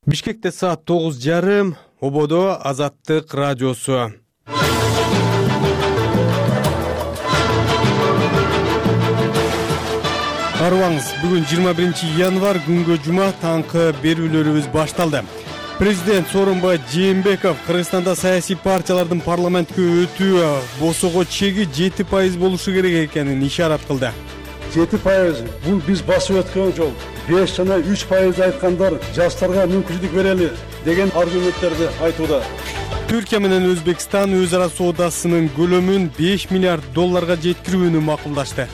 Бишкекте саат 9:30, Ободо Азаттык радиосу. Арыбаңыз, бүгүн 21 январь күнгө жума таңкы берүүлөрүбүз башталды. Президент Сооронбай Жээнбеков Кыргызстанда саясий партиялардын парламентке өтүү босого чеги 7% болушу керек экенин ишарат кылды. 7% бул биз басып өткөн жол. 5 жана 3% айткандар жаштарга мүмкүнчүлүк берели деген аргументтерди айтууда. Түркия менен Өзбекстан өз ара соодасынын көлөмүн $5 миллиард жеткирүүнү макулдашты.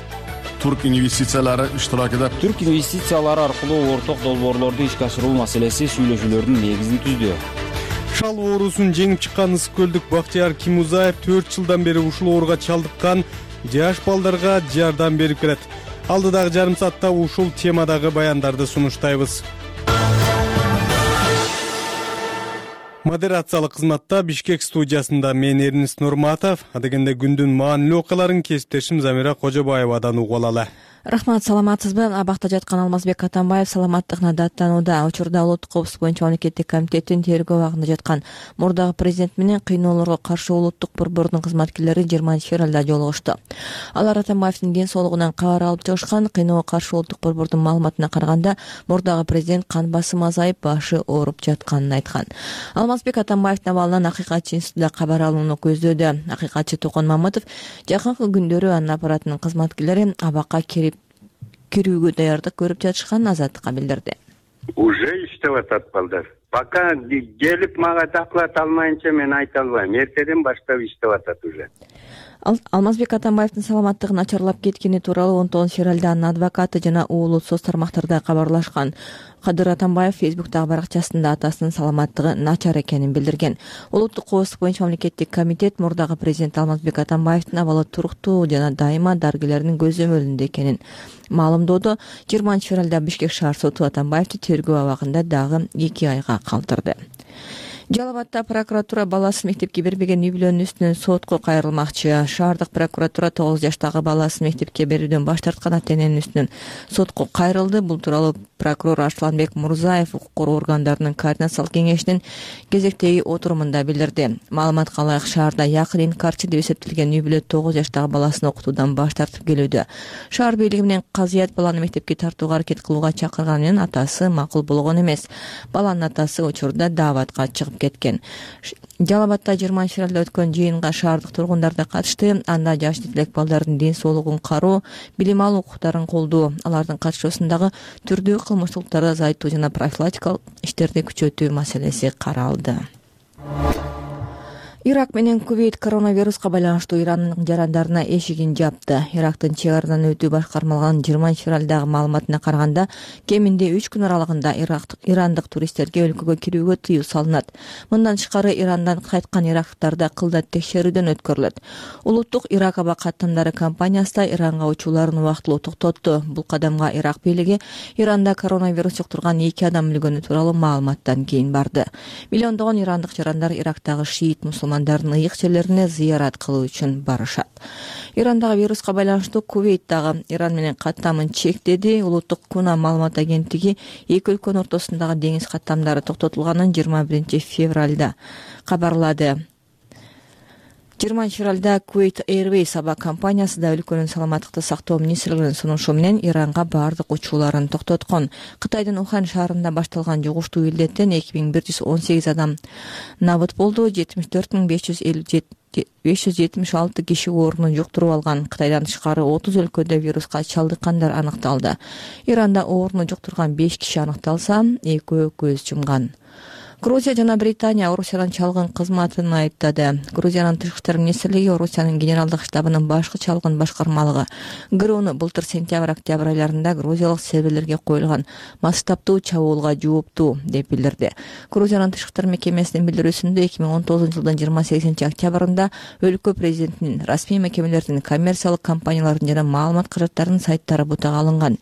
Türk инвестициялары иштиракында Түрк инвестициялары аркылуу орток долбоорлорду ишке ашыруу маселеси сүйлөшүүлөрдүн негизин түздү. Шал оорусун жеңип чыккан Ысык көлдүк Бактыяр Кимузаев 4 жылдан бери ушул ооруга чалдыккан жаш балдарга жардам берип келет. Алдыдагы жарым саатта ушул темадагы баяндарды сунуштайбыз. Модерациялык кызматта Бишкек студиясында мен Эрнис Нурматов, адегенде күндүн маанилүү окуяларын кесиптешим Замира Кожобаевадан угуп алалы. Рахмат, саламатсызбы? Абакта жаткан Алмазбек Атамбаев саламаттыгына даттанууда. Учурда улуттук коопсуздук боюнча мамлекеттик комитеттин тергөө абагында жаткан мурдагы президент менен кыйноолорго каршы улуттук борбордун кызматкерлери 20-февралда жолугушту. Алар Атамбаевдин ден соолугунан кабар алып чыгышкан. Кыйноого каршы улуттук борбордун маалыматына караганда, мурдагы президент кан басымы азайып, башы ооруп жатканын айткан. Алмазбек Атамбаевдин абалынан Акыйкатчы институтунда кабар алууну көздөөдө. Акыйкатчы Токон Мамытов жакынкы күндөрү анын аппаратынын кызматкерлери абакка кирүүгө даярдык көрүп жатышканын Азаттыкка билдирди. Уже иштеп атат балдар. Пока келип мага доклад алмайынча мен айта албайм. Эртеден баштап иштеп атат уже. Алмазбек Атамбаевдин саламаттыгы начарлап кеткени тууралуу 19-февралда анын адвокаты жана уулу соц тармактарда кабарлашкан. Кадыр Атамбаев Фейсбуктагы баракчасында атасынын саламаттыгы начар экенин билдирген. Улуттук коопсуздук боюнча мамлекеттик комитет мурдагы президент Алмазбек Атамбаевдин абалы туруктуу жана дайыма дарыгерлердин көзөмөлүндө экенин маалымдоодо. 20-февралда Бишкек шаар соту Атамбаевди тергөө абагында дагы 2 айга калтырды. Жалал Абадда прокуратура баласын мектепке бербеген үй бүлөнүн үстүнөн сотко кайрылмакчы. Шаардык прокуратура 9 жаштагы баласын мектепке берүүдөн баш тарткан ата-эненин үстүнөн сотко кайрылды. Бул тууралуу прокурор Арсланбек Мурзаев укук коргоо органдарынын координациялык кеңешинин кезектеги отурумунда билдирди. Маалыматка ылайык, шаарда якын инкарчы деп эсептелген үй бүлө 9 жаштагы баласын окутуудан баш тартып келүүдө. Шаар бийлиги менен казыят баланы мектепке тартууга аракет кылууга чакырган менен атасы макул болгон эмес. Баланын атасы учурда дааватка чыгып кеткен. Жалал Абадда 20-февралда өткөн жыйынга шаардык тургундар да катышты. Анда жаш тилек балдардын ден соолугун кароо, билим алуу укуктарын колдоо, алардын катышуусундагы түрдүү кылмыштуулуктарды азайтуу жана профилактикалык иштерди күчөтүү маселеси каралды. Ирак менен Кувейт коронавируска байланыштуу Ирандын жарандарына эшигин жапты. Ирактын чек арадан өтүү башкармалыгынын 20-февралдагы маалыматына караганда, кеминде 3 күн аралыгында ирандык туристтерге өлкөгө кирүүгө тыюу салынат. Мындан тышкары Ирандан кайткан ирактыктарда кылда текшерүүдөн өткөрүлөт. Улуттук Ирак аба каттамдары компаниясы да Иранга учууларын убактылуу токтотту. Бул кадамга Ирак бийлиги Иранда коронавирус жуктурган 2 адам өлгөнү тууралуу маалыматтан кийин барды. Миллиондогон ирандык жарандар Ирактагы шиит мусулмандардын ыйык жерлерине зыярат кылуу үчүн барышат. Ирандагы вируска байланыштуу Кувейт дагы Иран менен каттамын чектеди. Улуттук Куна маалымат агенттиги эки өлкөнүн ортосундагы деңиз каттамдары токтотулганын 21-февралда кабарлады. 20-февралда Kuwait Airways аба компаниясы да өлкөнүн саламаттыкты сактоо министрлигинин сунушу менен Иранга бардык учууларын токтоткон. Кытайдын Ухан шаарында башталган жугуштуу илдеттен 2118 адам набыт болду. 74,576 киши оорунун жуктуруп алган. Кытайдан тышкары 30 өлкөдө вируска чалдыккандар аныкталды. Иранда ооруну жуктурган 5 киши аныкталса, 2 көз жумган. Грузия жана Британия Орусиядан чалгын кызматын айыптады. Грузиянын тышкы иштер министрлиги Орусиянын генералдык штабынын башкы чалгын башкармалыгы ГРУну былтыр сентябрь-октябрь айларында грузиялык серверлерге коюлган масштабтуу чабуулга жооптуу деп билдирди. Грузиянын тышкы иштер мекемесинин билдирүүсүндө 2019 жылдын 28-октябрында өлкө президентинин, расмий мекемелердин, коммерциялык компаниялардын жана маалымат каражаттарынын сайттары бутага алынган.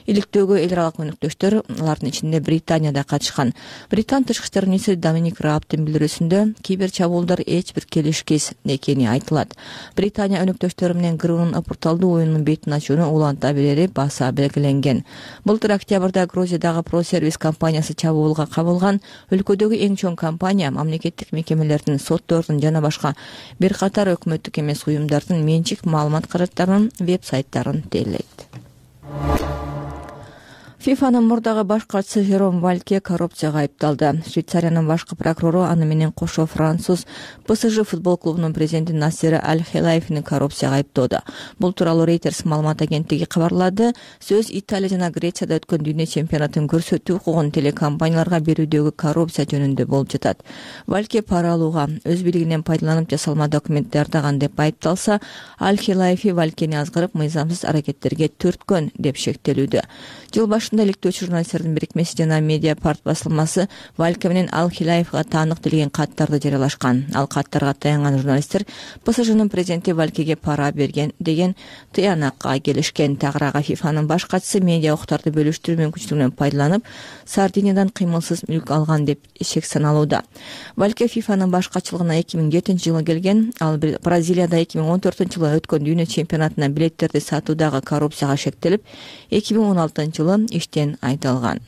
Иликтөөгө эл аралык өнөктөштөр, алардын ичинде Британия да катышкан. Британ тышкы иштер министри Доминик Раабтын билдирүүсүндө кибер чабуулдар эч бир келишкис экени айтылат. Британия өнөктөштөрү менен ГРУнун опурталдуу оюнунун бетин ачууну уланта берери баса белгиленген. Былтыр октябрда Грузиядагы ProService компаниясы чабуулга кабылган. Өлкөдөгү эң чоң компания мамлекеттик мекемелердин, соттордун жана башка бир катар өкмөттүк эмес уюмдардын менчик маалымат каражаттарынын веб-сайттарын тейлейт. ФИФАнын мурдагы баш катчысы Жером Вальке коррупцияга айыпталды. Швейцариянын башкы прокурору аны менен кошо француз ПСЖ футбол клубунун президенти Насер Аль-Хилаевни коррупцияга айыптоодо. Бул тууралуу Reuters маалымат агенттиги кабарлады. Сөз Италия жана Грецияда өткөн дүйнө чемпионатын көрсөтүү укугун телекомпанияларга берүүдөгү коррупция жөнүндө болуп жатат. Вальке пара алууга, өз бийлигинен пайдаланып жасалма документ даярдаган деп айыпталса, Аль-Хилаев Валькени азгырып, мыйзамсыз аракеттерге түрткөн деп шектелүүдө. Жыл башында иликтөөчү журналисттердин бирикмеси жана Медиапарт басылмасы Вальке менен Аль-Хилаевга таандык делген каттарды жарыялашкан. Ал каттарга таянган журналисттер ПСЖнын президенти Валькеге пара берген деген тыянакка келишкен. Тагыраагы ФИФАнын баш катчысы медиа укуктарды бөлүштүрүү мүмкүнчүлүгүнөн пайдаланып, Сардиниядан кыймылсыз мүлк алган деп шек саналууда. Вальке ФИФАнын баш катчылыгына 2007-жылы келген. Ал Бразилияда 2014-жылы өткөн дүйнө чемпионатына билеттерди сатуудагы коррупцияга шектелип, 2016-жылы иштен айдалган.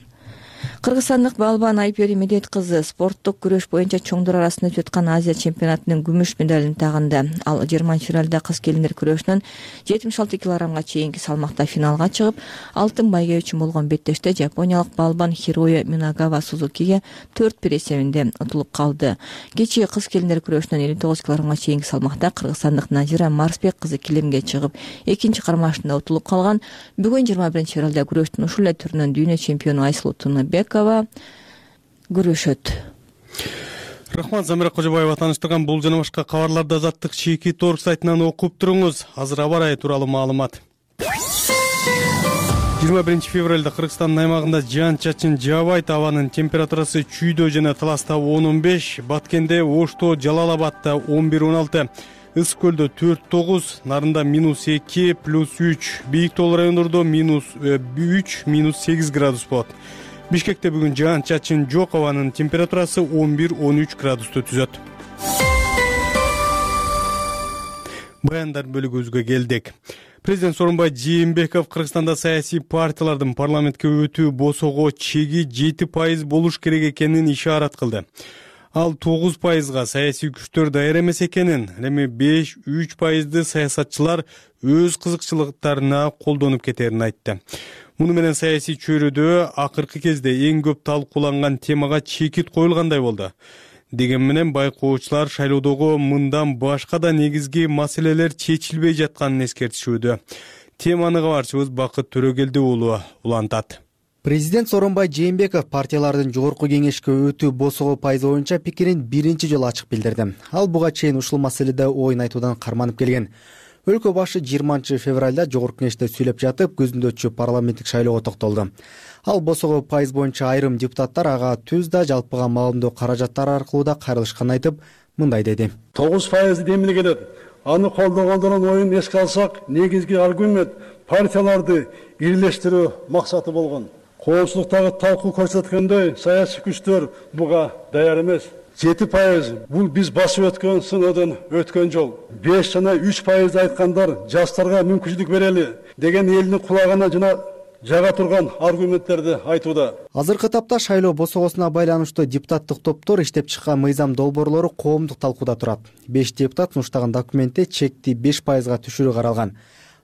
Кыргызстандык балбан Айпери Медет кызы спорттук күрөш боюнча чоңдор арасында өтүп аткан Азия чемпионатынын күмүш медалын тагынды. Ал 20-февралда кыз келиндер күрөшүнөн 76 килограммга чейинки салмакта финалга чыгып, алтын байге үчүн болгон беттеште жапониялык балбан Хироя Минагава Сузукиге 4-1 эсебинде утулуп калды. Кечээ кыз келиндер күрөшүнөн 59 килограммга чейинки салмакта кыргызстандык Назира Марсбек кызы килемге чыгып, экинчи кармашында утулуп калган. Бүгүн 21-февралда күрөштүн ушул эле түрүнөн дүйнө чемпиону Айсулуу Бекова күрөшөт. Рахмат, Замира Кожобаева тааныштырган бул жана башка кабарларды Азаттык чеки торг сайтынан окуп туруңуз. Азыр аба ырайы тууралуу маалымат. 21-февралда Кыргызстандын аймагында жаан-чачын жаабайт, абанын температурасы Чүйдө жана Таласта 10-15, Баткенде, Ошто, Жалал-Абадта 11-16, Ысык көлдө 4-9, Нарында -2, +3, Бийик Тол райондордо -3, -8 градус болот. Бишкекте бүгүн жаан-чачын жок, абанын температурасы 11-13 градусту түзөт. Баяндар бөлүгүбүзгө келдик. Президент Сооронбай Жээнбеков Кыргызстанда саясий партиялардын парламентке өтүү босого чеги 7% болуш керек экенин ишарат кылды. Ал 9%га саясий күчтөр даяр эмес экенин, эми 5-3%ды саясатчылар өз кызыкчылыктарына колдонуп кетерин айтты. Муну менен саясий чөйрөдө акыркы кезде эң көп талкууланган темага чекит коюлгандай болду. Деген менен байкоочулар шайлоодогу мындан башка да негизги маселелер чечилбей жатканын эскертишүүдө. Теманы кабарчыбыз Бакыт Төрөгелди уулу улантат. Президент Сооронбай Жээнбеков партиялардын жогорку кеңешке өтүү босого пайызы боюнча пикирин биринчи жолу ачык билдирди. Ал буга чейин ушул маселеде оюн айтуудан карманып келген. Өлкө башы 20-февралда жогорку кеңеште сүйлөп жатып, көзүндө өтчү парламенттик шайлоого токтолду. Ал босого пайыз боюнча айрым депутаттар ага түз да жалпыга маалымдоо каражаттары аркылуу да кайрылышканын айтып, мындай деди. 9% демиле келет. Аны колдогондордун оюн эске алсак, негизги аргумент партияларды бирлештирүү максаты болгон. Коомчулуктагы талкуу көрсөткөндөй, саясий күчтөр буга даяр эмес. 7% бул биз басып өткөн сыноодон өткөн жол. 5 жана 3% айткандар жаштарга мүмкүнчүлүк берели деген элдин кулагына жана жага турган аргументтерди айтууда. Азыркы тапта шайлоо босогосуна байланыштуу депутаттык топтор иштеп чыккан мыйзам долбоорлору коомдук талкууда турат. 5 депутат сунуштаган документте чекти 5%га түшүрүү каралган.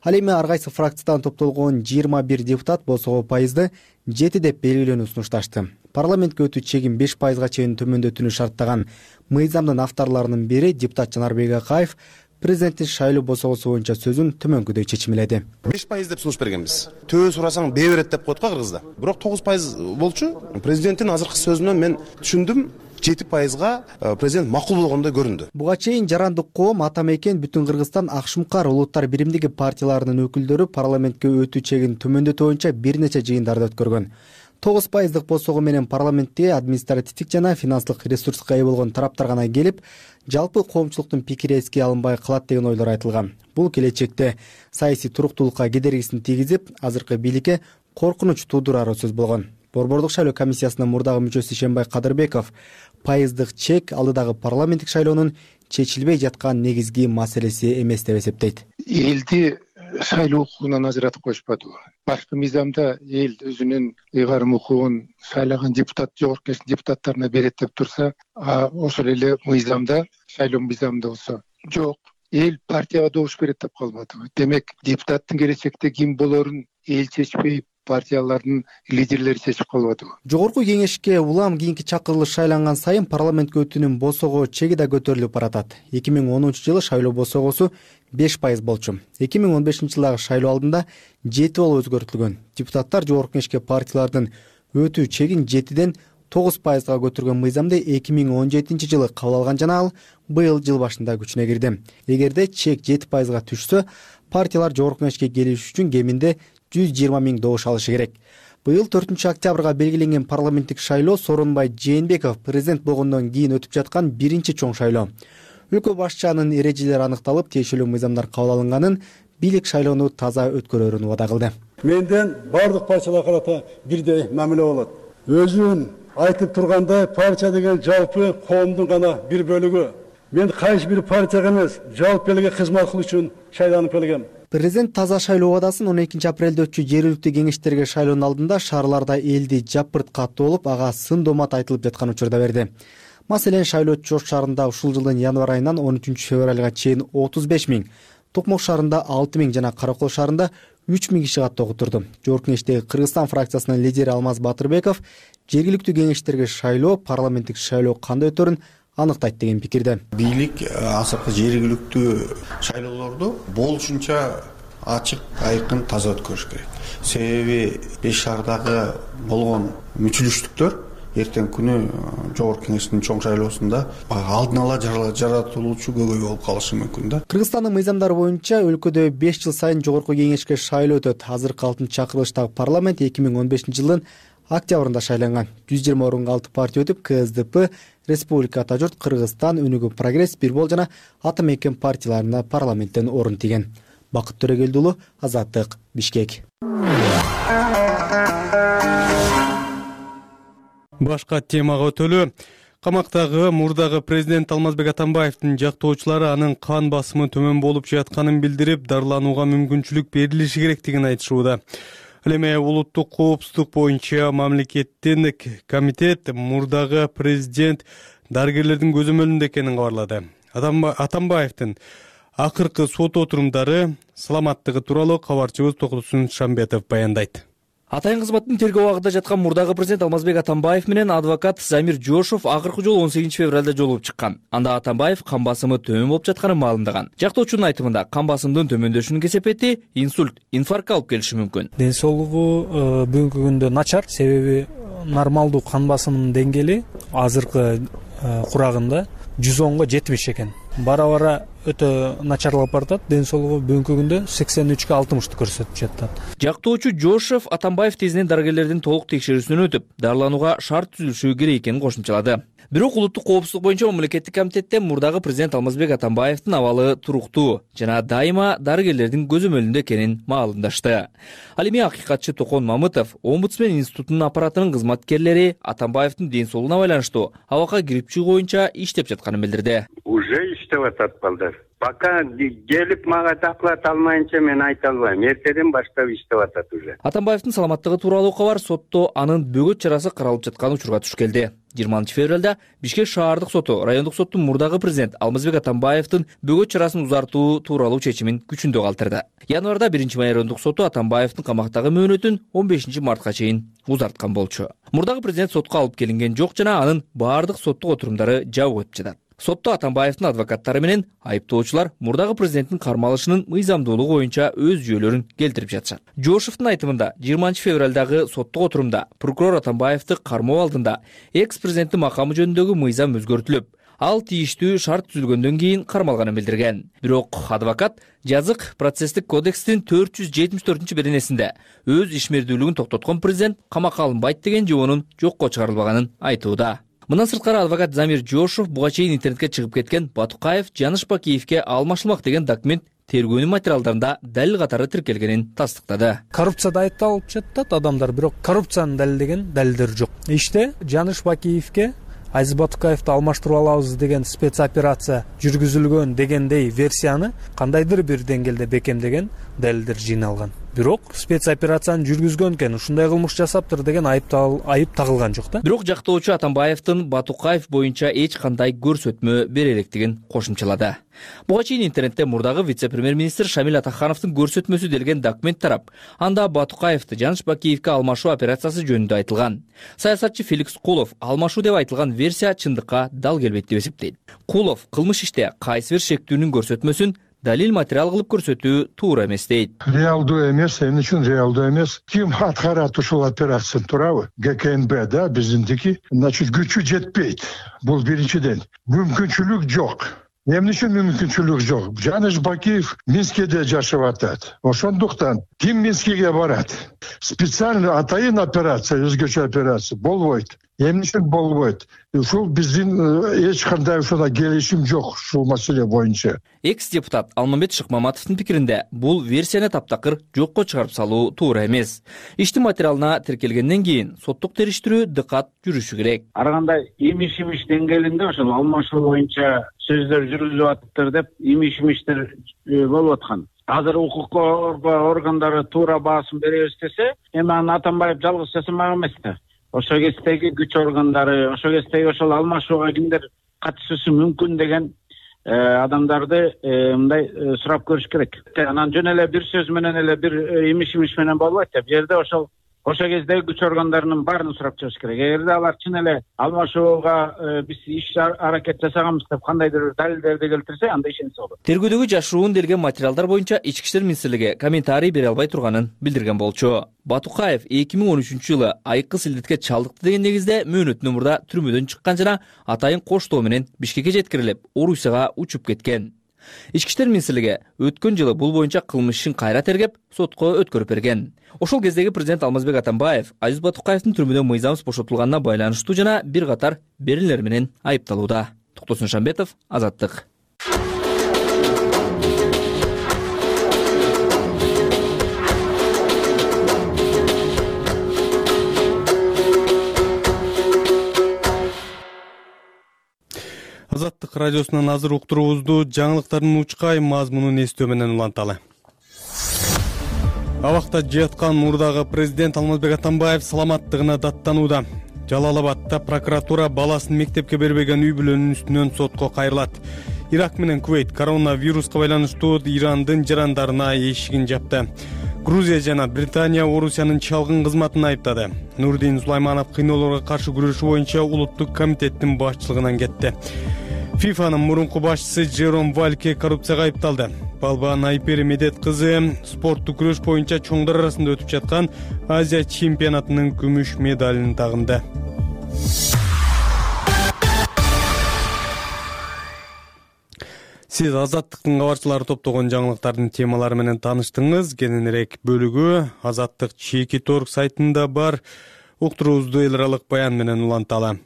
Ал эми ар кайсы фракциядан топтолгон 21 депутат босого пайызды 7 деп белгилөөнү сунушташты. Парламентке өтүү чегин 5%га чейин төмөндөтүүнү шарттаган мыйзамдын авторлорунун бири депутат Жанарбек Акаев президенттин шайлоо босогосу боюнча сөзүн төмөнкүдөй чечимеледи. 5% деп сунуш бергенбиз. Төө сурасаң бээ берет деп коет го кыргызда. Бирок 9% болчу. Президенттин азыркы сөзүнөн мен түшүндүм. 7%га президент макул болгондой көрүндү. Буга чейин жарандык коом ата мекен бүтүн Кыргызстан Акшумкар улуттар биримдиги партияларынын өкүлдөрү парламентке өтүү чегин төмөндөтүү боюнча бир нече жыйындарды өткөргөн. 9% босого менен парламентте административдик жана финанслык ресурска ээ болгон тараптар гана келип, жалпы коомчулуктун пикири эске алынбай калат деген ойлор айтылган. Бул келечекте саясий туруктуулукка кедергисин тийгизип, азыркы бийликке коркунуч туудурары сөз болгон. Борбордук шайлоо комиссиясынын мурдагы мүчөсү Ишенбай Кадырбеков пайыздык чек алдыдагы парламенттик шайлоонун чечилбей жаткан негизги маселеси эмес деп эсептейт. Элди шайлоо укугунан ажыратып коюшпадыбы? Башкы мыйзамда эл өзүнүн ыйгарым укугун шайлаган депутат жогорку кеңештин депутаттарына берет деп турса, ошол эле мыйзамда, шайлоо мыйзамында болсо жок. Эл партияга добуш берет деп калбадыбы? Демек, депутаттын келечекте ким болорун эл чечпей, партиялардын лидерлери чечип калбадыбы? Жогорку кеңешке улам кийинки чакырылыш шайланган сайын парламентке өтүүнүн босого чеги да көтөрүлүп баратат. 2010-жылы шайлоо босогосу 5% болчу. 2015-жылдагы шайлоо алдында 7 болуп өзгөртүлгөн. Депутаттар жогорку кеңешке партиялардын өтүү чегин 7ден 9%га көтөргөн мыйзамды 2017-жылы кабыл алган жана ал быйыл жыл башында күчүнө кирди. Эгерде чек 7%га түшсө, партиялар жогорку кеңешке келиш үчүн кеминде 120 миң добуш алышы керек. Быйыл 4-октябрга белгиленген парламенттик шайлоо Сооронбай Жээнбеков президент болгондон кийин өтүп жаткан биринчи чоң шайлоо. Өлкө башчынын эрежелери аныкталып, тиешелүү мыйзамдар кабыл алынганын, бийлик шайлоону таза өткөрөрүн убада кылды. Менден бардык партияларга карата бирдей мамиле болот. Өзүн айтып тургандай, партия деген жалпы коомдун гана бир бөлүгү. Мен кайсы бир партияга эмес, жалпы элге кызмат кылуу үчүн шайланып келгем. Президент таза шайлоо убадасын 12-апрелде өтчү жергиликтүү кеңештерге шайлоонун алдында шаарларда элди жапырт каттуу болуп, ага сын домат айтылып жаткан учурда берди. Маселен, Шайлоо Чош шаарында ушул жылдын январь айынан 13-февралга чейин 35 миң, Токмок шаарында 6 миң жана Каракол шаарында 3 миң киши каттуу отурду. Жогорку кеңештеги Кыргызстан фракциясынын лидери Алмаз Батырбеков жергиликтүү кеңештерге шайлоо, парламенттик шайлоо кандай өтөрүн аныктайт деген пикирде. Бийлик азыркы жергиликтүү шайлоолорду болушунча ачык, айкын, таза өткөрүш керек. Себеби 5 шаардагы болгон мүчүлүштүктөр эртең күнү жогорку кеңештин чоң шайлоосунда алдын ала жаратылуучу көбөй болуп калышы мүмкүн да. Кыргызстандын мыйзамдары боюнча өлкөдө 5 жыл сайын жогорку кеңешке шайлоо өтөт. Азыркы 6-чакырылыштагы парламент 2015-жылдын октябрында шайланган. 120 орунга 6 партия өтүп, КСДП, Республика Ата журт, Кыргызстан, Өнүгүү прогресс, Бирбол жана Ата мекен партияларына парламенттен орун тийген. Бакыт Төрөгелди уулу, Азаттык, Бишкек. Башка темага өтөлү. Камактагы мурдагы президент Алмазбек Атамбаевдин жактоочулары анын кан басымы төмөн болуп жатканын билдирип, дарыланууга мүмкүнчүлүк берилиши керектигин айтышууда. Ал эми улуттук коопсуздук боюнча мамлекеттин комитет мурдагы президент дарыгерлердин көзөмөлүндө экенин кабарлады. Атамбаевдин акыркы сот отурумдары саламаттыгы тууралуу кабарчыбыз Токутсун Шамбетов баяндайт. Атайын кызматтын тергөө абагында жаткан мурдагы президент Алмазбек Атамбаев менен адвокат Замир Жошов акыркы жолу 18-февралда жолугуп чыккан. Анда Атамбаев кан басымы төмөн болуп жатканын маалымдаган. Жактоочунун айтымында кан басымдын төмөндөшүнүн кесепети инсульт, инфарктка алып келиши мүмкүн. Ден соолугу бүгүнкү күндө начар, себеби нормалдуу кан басымынын деңгээли азыркы курагында 110го 70 экен. Бара-бара өтө начарлап баратат. Ден соолугу бүгүнкү күндө 83гө 60 көрсөтүп жатат. Жактоочу Жошов Атамбаев тезинен дарыгерлердин толук текшерүүсүнөн өтүп, дарыланууга шарт түзүлүшү керек экенин кошумчалады. Бирок улуттук коопсуздук боюнча мамлекеттик комитетте мурдагы президент Алмазбек Атамбаевдин абалы туруктуу жана дайыма дарыгерлердин көзөмөлүндө экенин маалымдашты. Ал эми акыйкатчы Токон Мамытов, Омбудсмен институтунун аппаратынын кызматкерлери Атамбаевдин ден соолугуна байланыштуу абакка кирип чыгуу боюнча иштеп жатканын билдирди. Уже иштеп атат балдар. Пока келип мага доклад алмайынча мен айта албайм. Эртеден баштап иштеп атат уже. Атамбаевдин саламаттыгы тууралуу кабар сотто анын бөгөт чарасы каралып жаткан учурга туш келди. 20-февралда Бишкек шаардык соту райондук соттун мурдагы президент Алмазбек Атамбаевдин бөгөт чарасын узартуу тууралуу чечимин күчүндө калтырды. Январда 1-май райондук соту Атамбаевдин камактагы мөөнөтүн 15-мартка чейин узарткан болчу. Мурдагы президент сотко алып келинген жок жана анын баардык соттук отурумдары жабык өтүп жатат. Сотто Атамбаевдин адвокаттары менен айыптоочулар мурдагы президенттин кармалышынын мыйзамдуулугу боюнча өз жүйөлөрүн келтирип жатышат. Жошовдун айтымында 20-февралдагы соттук отурумда прокурор Атамбаевди кармоо алдында экс-президенттин макамы жөнүндөгү мыйзам өзгөртүлүп, ал тийиштүү шарт түзүлгөндөн кийин кармалганын билдирген. Бирок адвокат жазык процесстик кодекстин 474-беренесинде өз ишмердүүлүгүн токтоткон президент камакка алынбайт деген жоонун жокко чыгарылбаганын айтууда. Мындан сырткары адвокат Замир Жошов буга чейин интернетке чыгып кеткен Батукаев Жаныш Бакиевке алмашылмак деген документ тергөөнүн материалдарында далил катары тиркелгенин тастыктады. Коррупцияда айыпталып жатат адамдар, бирок коррупцияны далилдеген далилдер жок. Иште Жаныш Бакиевке Айзат Батукаевди алмаштырып алабыз деген спецоперация жүргүзүлгөн дегендей версияны кандайдыр бир деңгээлде бекемдеген далилдер жыйналган. Бирок спецоперацияны жүргүзгөн экен, ушундай кылмыш жасаптыр деген айып тагылган жок да. Бирок жактоочу Атамбаевдин Батукаев боюнча эч кандай көрсөтмө бере электигин кошумчалады. Буга чейин интернетте мурдагы вице-премьер-министр Шамил Атахановдун көрсөтмөсү делген документ тарап, анда Батукаевди Жаныш Бакиевке алмашуу операциясы жөнүндө айтылган. Саясатчы Феликс Кулов алмашуу деп айтылган версия чындыкка дал келбейт деп эсептейт. Кулов кылмыш иште кайсы бир шектүүнүн көрсөтмөсүн далил материал кылып көрсөтүү туура эмес дейт. Реалдуу эмес, эмне үчүн реалдуу эмес? Ким аткарат ушул операцияны, туурабы? ГКНБ да, биздики. Значит, күчү жетпейт. Бул биринчиден. Мүмкүнчүлүк жок. Эмне үчүн мүмкүнчүлүк жок? Жаныш Бакиев Минскеде жашап атат. Ошондуктан ким Минскеге барат? Специально атайын операция, өзгөчө операция болбойт. Эмне үчүн болбойт? Ушул биздин эч кандай ушундай келишим жок ушул маселе боюнча. Экс-депутат Алмамбет Шыкмаматовдун пикиринде бул версияны таптакыр жокко чыгарып салуу туура эмес. Иштин материалына тиркелгенден кийин соттук териштирүү дыкат жүрүшү керек. Ар кандай имиш деңгээлинде ошол алмашуу боюнча сөздөр жүргүзүп атыптыр деп имиштер болуп аткан. Азыр укук коргоо органдары туура баасын беребиз десе, эми аны Атамбаев жалгыз жасамак эмес да. Ошол кездеги күч органдары, ошол кездеги ошол алмашууга кимдер катышышы мүмкүн деген адамдарды мындай сурап көрүш керек. Анан жөн эле бир сөз менен эле бир имиш менен болбойт да. Бу жерде ошол кездеги күч органдарынын баарын сурап чыгыш керек. Эгерде алар чын эле алмашууга биз иш аракет жасаганбыз деп кандайдыр далилдерди келтирсе, анда ишенсе болот. Тергөөдөгү жашыруун делген материалдар боюнча Ички иштер министрлиги комментарий бере албай турганын билдирген болчу. Батукаев 2013-жылы айыккы силдетке чалдыкты деген негизде мөөнөттүү мурда түрмөдөн чыккан жана атайын коштоо менен Бишкекке жеткирилип, Орусияга учуп кеткен. Ички иштер министрлиги өткөн жылы бул боюнча кылмыш ишин кайра тергеп, сотко өткөрүп берген. Ошол кездеги президент Алмазбек Атамбаев Айзат Батукаевдин түрмөдөн мыйзамсыз бошотулганына байланыштуу жана бир катар берилер менен айыпталууда. Токтосун Шамбетов, Азаттык. Азаттык радиосунан азыр уктуруубузду жаңылыктардын учкай мазмунун эстөө менен уланталы. Абакта жаткан мурдагы президент Алмазбек Атамбаев саламаттыгына даттанууда. Жалал Абадта прокуратура баласын мектепке бербеген үй бүлөнүн үстүнөн сотко кайрылат. Ирак менен Кувейт коронавируска байланыштуу Ирандын жарандарына эшигин жапты. Грузия жана Британия Орусиянын чалгын кызматын айыптады. Нурдин Сулайманов кыйноолорго каршы күрөшүү боюнча улуттук комитеттин башчылыгынан кетти. ФИФАнын мурунку башчысы Жером Вальке коррупцияга айыпталды. Балба Найпери Медет кызы спорттук күрөш боюнча чоңдор арасында өтүп жаткан Азия чемпионатынын күмүш медалын тагынды. Сиз Азаттыктын кабарчылары топтогон жаңылыктардын темалары менен тааныштыңыз. Кененирээк бөлүгү Азаттык Чеки.org сайтында бар. Уктуруубузду эл аралык баян менен уланталы.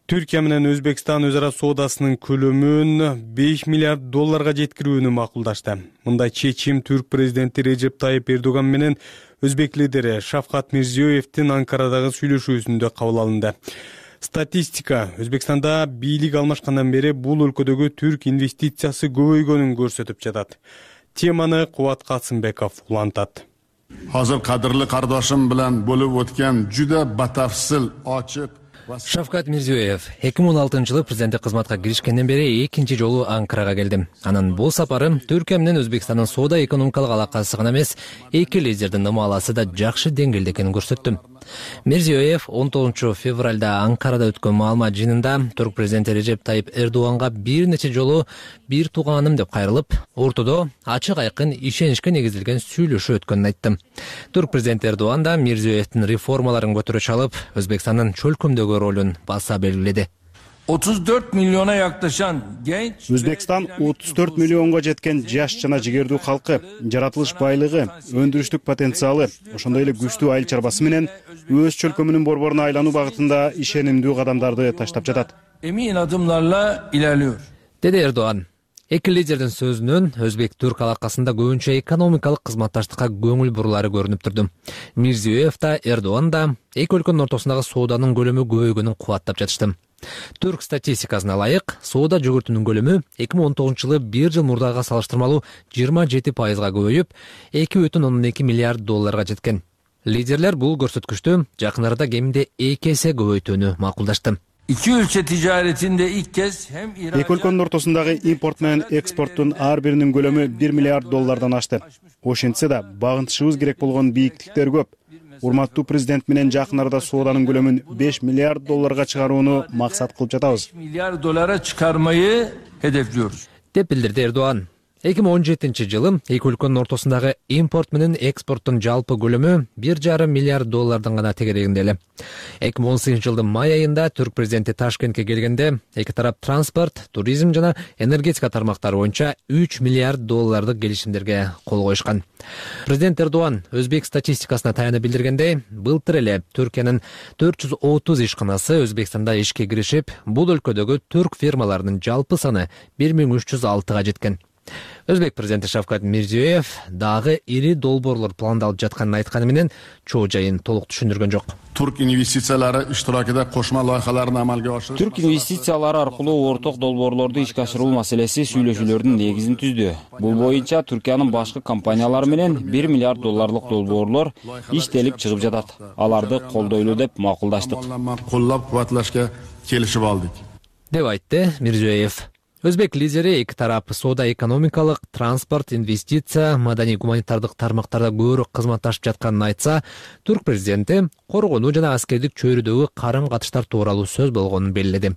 Түркия менен Өзбекстан өз ара соодасынын көлөмүн 5 миллиард долларга жеткирүүнү макулдашты. Мындай чечим Түрк президенти Режеп Тайып Эрдоган менен Өзбек лидери Шавкат Мирзиёевдин Анкарадагы сүйлөшүүсүндө кабыл алынды. Статистика Өзбекстанда бийлик алмашкандан бери бул өлкөдөгү түрк инвестициясы көбөйгөнүн көрсөтүп жатат. Теманы Кубат Касымбеков улантат. Азыр кадырлы кардашым менен болуп өткөн жүдө батафсыл, ачык Шавкат Мирзиёев 2016-жылы президенттик кызматка киришкенден бери экинчи жолу Анкарага келдим. Анын бул сапары Түркия менен Өзбекстандын соода экономикалык алакасы гана эмес, эки лидердин ымаласы да жакшы деңгээлде экенин көрсөттү. Мирзиёев 19 февралда Анкарада өткөн маалымат жыйынында Түрк президенти Режеп Тайып Эрдоганга бир нече жолу бир тууганым деп кайрылып, ортодо ачык айкын ишеничке негизилген сүйлөшүү өткөнүн айтты. Түрк президенти Эрдоган да Мирзиёевдин реформаларын көтөрө чалып, Өзбекстандын чөлкөмдөгү ролун баса белгиледи. 34 milyona yaklaşan genç Өзбекстан 34 миллионго жеткен жаш жана жигердүү калкы, жаратылыш байлыгы, өндүрүштүк потенциалы, ошондой эле күчтүү айыл чарбасы менен өз чөлкөмүнүн борборуна айлануу багытында ишенимдүү кадамдарды таштап жатат. Emin adımlarla ilerliyor. Деди Эрдоган. Эки лидердин сөзүнөн өзбек-түрк алакасында көбүнчө экономикалык кызматташтыкка көңүл бурулары көрүнүп турду. Мирзиёев да, Эрдоган да эки өлкөнүн ортосундагы сооданын көлөмү көбөйгөнүн кубаттап жатышты. Түрк статистикасына ылайык, соода жүгүртүүнүн көлөмү 2019-жылы бир жыл мурдага салыштырмалуу 27%га көбөйүп, 2,2 миллиард долларга жеткен. Лидерлер бул көрсөткүчтү жакын арада кеминде 2 эсе көбөйтүүнү макулдашты. İki ülke ticaretinde ilk kez hem Эки өлкөнүн ортосундагы импорт менен экспорттун ар биринин көлөмү 1 миллиард доллардан ашты. Ошентсе да багынтышыбыз керек болгон бийиктиктер көп. Урматтуу президент менен жакын арада сооданын көлөмүн 5 миллиард долларга чыгарууну максат кылып жатабыз. milyar dolara çıkarmayı hedefliyoruz. деп билдирди Эрдоган. 2017-жылы эки өлкөнүн ортосундагы импорт менен экспорттун жалпы көлөмү 1,5 миллиард доллардан гана тегерегинде эле. 2018-жылдын май айында түрк президенти Ташкентке келгенде эки тарап транспорт, туризм жана энергетика тармактары боюнча 3 миллиард доллардык келишимдерге кол коюшкан. Президент Эрдоган өзбек статистикасына таянып билдиргендей, былтыр эле Түркиянын 430 ишканасы Өзбекстанда ишке киришип, бул өлкөдөгү түрк фирмаларынын жалпы саны 1306-га жеткен. Өзбек президенти Шавкат Мирзиёев дагы ири долбоорлор пландалып жатканын айтканы менен чоо жайын толук түшүндүргөн жок. Türk investitsiyalari iştirakida qo'shma loyihalarni amalga oshirish. Түрк инвестициялары аркылуу орток долбоорлорду ишке ашыруу маселеси сүйлөшүүлөрдүн негизин түздү. Бул боюнча Түркиянын башкы компаниялары менен 1 миллиард долларлык долбоорлор иштелип чыгып жатат. Аларды колдойлуу деп макулдаштык. Qo'llab-quvvatlashga kelishib oldik. деп айтты Мирзиёев. Өзбек лидери эки тарап соода экономикалык, транспорт, инвестиция, маданий-гуманитардык тармактарда көбүрөөк кызматташып жатканын айтса, түрк президенти коргонуу жана аскердик чөйрөдөгү карым-катыштар тууралуу сөз болгонун белгиледи.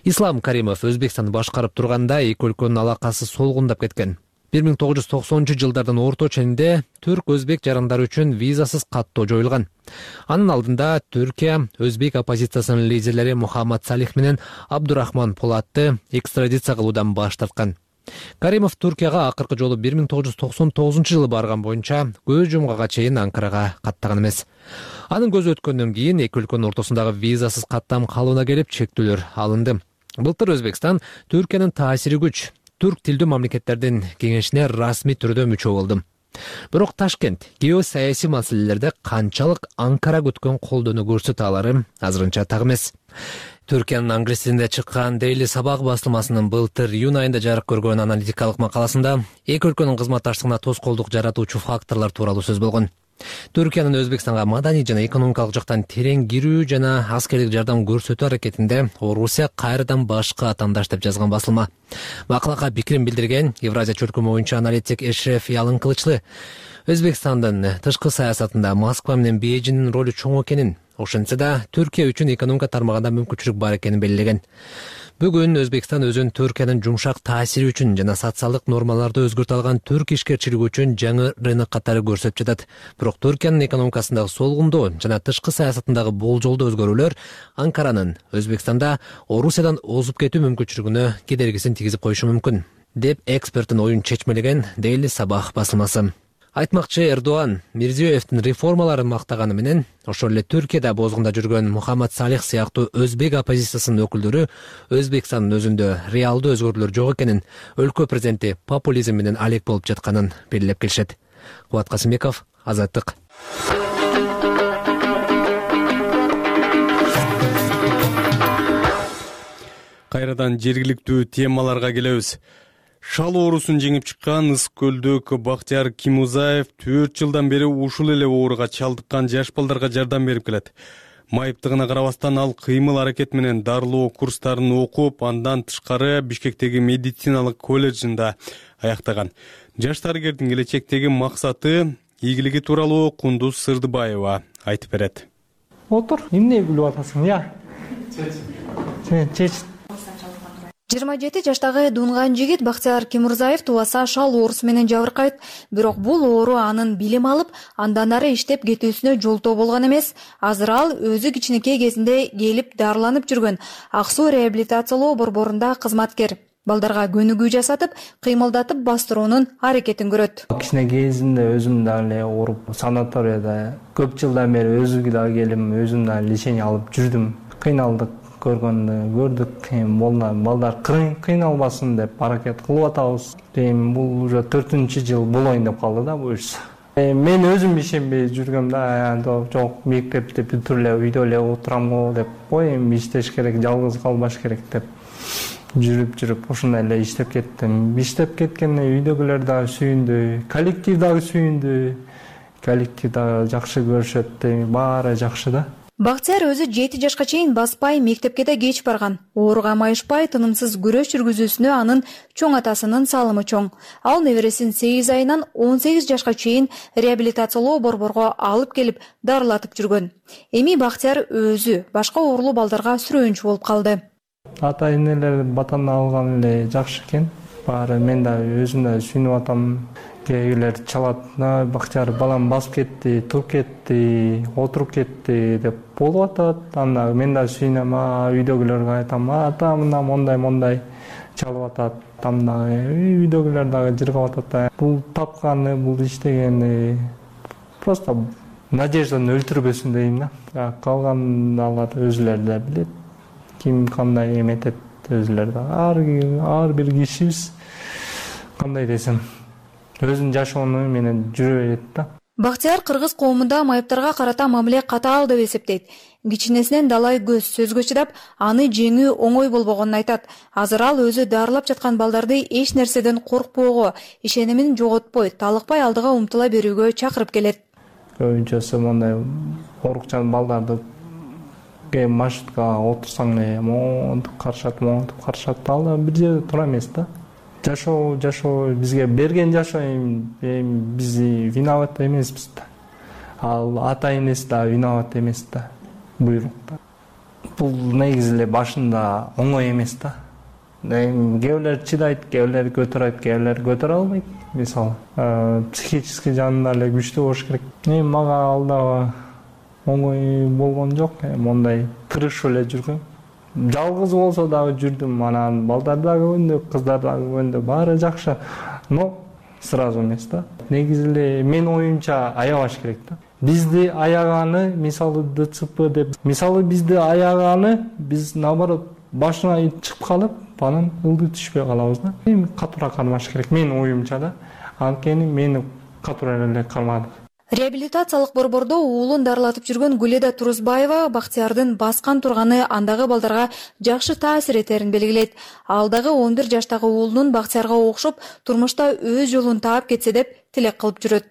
Ислам Каримов Өзбекстанды башкарып турганда эки өлкөнүн алакасы солгундап кеткен. 1990-жылдардын орто ченинде түрк-өзбек жарандары үчүн визасыз каттоо жоюлган. Анын алдында Түркия өзбек оппозициясынын лидерлери Мухаммад Салих менен Абдурахман Полатты экстрадиция кылуудан баш тарткан. Каримов Түркияга акыркы жолу 1999-жылы барган боюнча көз жумгага чейин Анкарага каттаган эмес. Анын көзү өткөндөн кийин эки өлкөнүн ортосундагы визасыз каттам калыбына келип чектөөлөр алынды. Былтыр Өзбекстан Түркиянын таасири күч түрк тилдүү мамлекеттердин кеңешине расмий түрдө мүчө болду. Бирок Ташкент геосаясий маселелерде канчалык Анкара күткөн колдоону көрсөтө алары азырынча так эмес. Түркиянын англисинде чыккан Daily Sabah басылмасынын былтыр июнь айында жарык көргөн аналитикалык макаласында эки өлкөнүн кызматташтыгына тоскоолдук жаратуучу факторлор тууралуу сөз болгон. Түркиянын Өзбекстанга маданий жана экономикалык жактан терең кирүү жана аскердик жардам көрсөтүү аракетинде Орусия кайрадан башка атандаш деп жазган басылма. Макалага пикирин билдирген Евразия чөлкөмү боюнча аналитик Эшреф Ялын Кылычлы Өзбекстандын тышкы саясатында Москва менен Бейжиңдин ролу чоң экенин, ошентсе да Түркия үчүн экономика тармагында мүмкүнчүлүк бар экенин белгилеген. Бүгүн Өзбекстан өзүн Түркиянын жумшак таасири үчүн жана социалдык нормаларды өзгөртө алган түрк ишкерчилиги үчүн жаңы рынок катары көрсөтүп жатат. Бирок Түркиянын экономикасындагы солгундоо жана тышкы саясатындагы болжолдуу өзгөрүүлөр Анкаранын Өзбекстанда Орусиядан озуп кетүү мүмкүнчүлүгүнө кедергисин тийгизип коюшу мүмкүн, деп эксперттин оюн чечмелеген Daily Sabah басылмасы. Айтмакчы Эрдоган Мирзиёевдин реформаларын мактаганы менен, ошол эле Түркияда бозгунда жүргөн Мухаммад Салих сыяктуу өзбек оппозициясынын өкүлдөрү Өзбекстандын өзүндө реалдуу өзгөрүүлөр жок экенин, өлкө президенти популизм менен алек болуп жатканын белгилеп келишет. Кубат Касымбеков, Азаттык. Кайрадан жергиликтүү темаларга келебиз. Шал оорусун жеңип чыккан Ыс көлдүк Бактияр Кимузаев 4 жылдан бери ушул эле ооруга чалдыккан жаш балдарга жардам берип келет. Майыптыгына карабастан ал кыймыл аракет менен дарылоо курстарын окуп, андан тышкары Бишкектеги медициналык колледжинде аяктаган. Жаш дарыгердин келечектеги максаты ийгилиги тууралуу Кундуз Сырдыбаева айтып берет. Отур, эмне билип атасың, я? Чеч. 27 жаштагы дунган жигит Бактияр Кимурзаев тубаса шал оорусу менен жабыркайт. Бирок бул оору анын билим алып, андан ары иштеп кетүүсүнө жолтоо болгон эмес. Азыр ал өзү кичинекей кезинде келип дарыланып жүргөн Ак Суу реабилитациялоо борборунда кызматкер. Балдарга көнүгүү жасатып, кыймылдатып бастыруунун аракетин көрөт. Кичинекей кезимде өзүм дагы эле ооруп, санаторияда көп жылдан бери өзүмгө дагы келип, өзүм дагы лечение алып жүрдүм. Кыйналдык. көрдүк. Балдар кыйналбасын деп аракет кылып атабыз. Бул уже 4-жыл болоюн деп калды да буюрса. Мен өзүм ишенбей жүргөм да, жок мектепти бүтүп эле үйдө эле отурам го деп, эми иштеш керек, жалгыз калбаш керек деп жүрүп ушундай эле иштеп кеттим. Иштеп кеткенде үйдөгүлөр дагы сүйүндү, коллектив дагы сүйүндү. Коллектив дагы жакшы көрүшөт, баары жакшы да. Бактияр өзү 7 жашка чейин баспай, мектепке да кеч барган. Ооруга майышпай, тынымсыз күрөш жүргүзүүсүнө анын чоң атасынын салымы чоң. Ал небересин 8 айынан 18 жашка чейин реабилитациялоо борборго алып келип дарылатып жүргөн. Эми Бактияр өзү башка оорлуу балдарга сүрөөнчү болуп калды. Ата-энелер батаны алган эле жакшы экен. Баары мен да өзүм да сүйүнүп атам. Кээбирлер чалат, Бактияр балам басып кетти, туруп кетти, отуруп кетти деп болуп атат. Анда мен да сүйүнөм, үйдөгүлөргө айтам, ата мондай чалып атат. Анда үйдөгүлөр дагы жыргап атат. Бул тапканы, бул иштегени просто надежданы өлтүрбөсүн дейм да. Калган алар өзүлөрү да билет. Ким кандай эметет өзүлөрү да. Ар бир кишибиз кандай десем өзүнүн жашоону менен жүрө берет да. Бактияр кыргыз коомунда майыптарга карата мамиле катаал деп эсептейт. Кичинесинен далай көз сөзгө чыдап, аны жеңүү оңой болбогонун айтат. Азыр ал өзү дарылап жаткан балдарды эч нерседен коркпоого, ишенимин жоготпой, талыкпай алдыга умтула берүүгө чакырып келет. Көбүнчөсү мондай коркчан балдарды маршруткага отурсаң эле монтип карышат, ал да бир жерде тура эмес да. Жашоо бизге берген жашоо, эми биз виноват эмеспиз да. Ал ата-энеси да виноват эмес да. Буйрук. Бул негизи эле башында оңой эмес да. Кээбилер чыдайт, кээбилер көтөрөт, кээбилер көтөрө албайт. Мисалы, психический жагында эле күчтүү болуш керек. Мага ал дагы оңой болгон жок, мондай тырышып эле жүргөм. Жалгыз болсо дагы жүрдүм, анан балдар дагы көндү, кыздар дагы көндү, баары жакшы. Но сразу эмес да. Негизи эле мен оюмча аябаш керек да. Бизди аяганы, мисалы ДЦП деп, мисалы бизди аяганы, биз наоборот башына чыгып калып, анан ылдый түшпөй калабыз да. Эми катуура кармаш керек, мен оюмча да. Анткени мени катуура эле кармады. Реабилитациялык борбордо уулун дарылатып жүргөн Гүледа Турузбаева Бактиярдын баскан турганы андагы балдарга жакшы таасир этерин белгилейт. Ал дагы 11 жаштагы уулунун Бактиярга окшоп турмушта өз жолун таап кетсе деп тилек кылып жүрөт.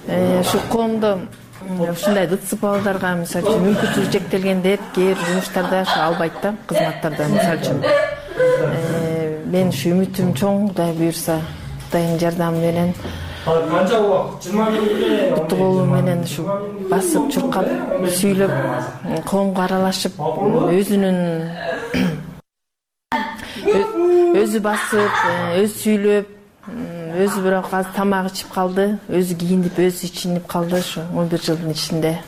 Ушу коомдо ушундай ДЦП балдарга мисалы үчүн мүмкүнчүлүгү чектелген деп кээ бир жумуштарда албайт да, кызматтарда мисалы үчүн. Мен ушу үмүтүм чоң, Кудай буйрса, Кудайдын жардамы менен канча убакыт 20 минутте буту колу менен ушу басып чуркап сүйлөп коомго аралашып өзү басып өзү сүйлөп өзү бирок азыр тамак ичип калды, өзү кийинип өзү ичинип калды ушу 11 жылдын ичинде.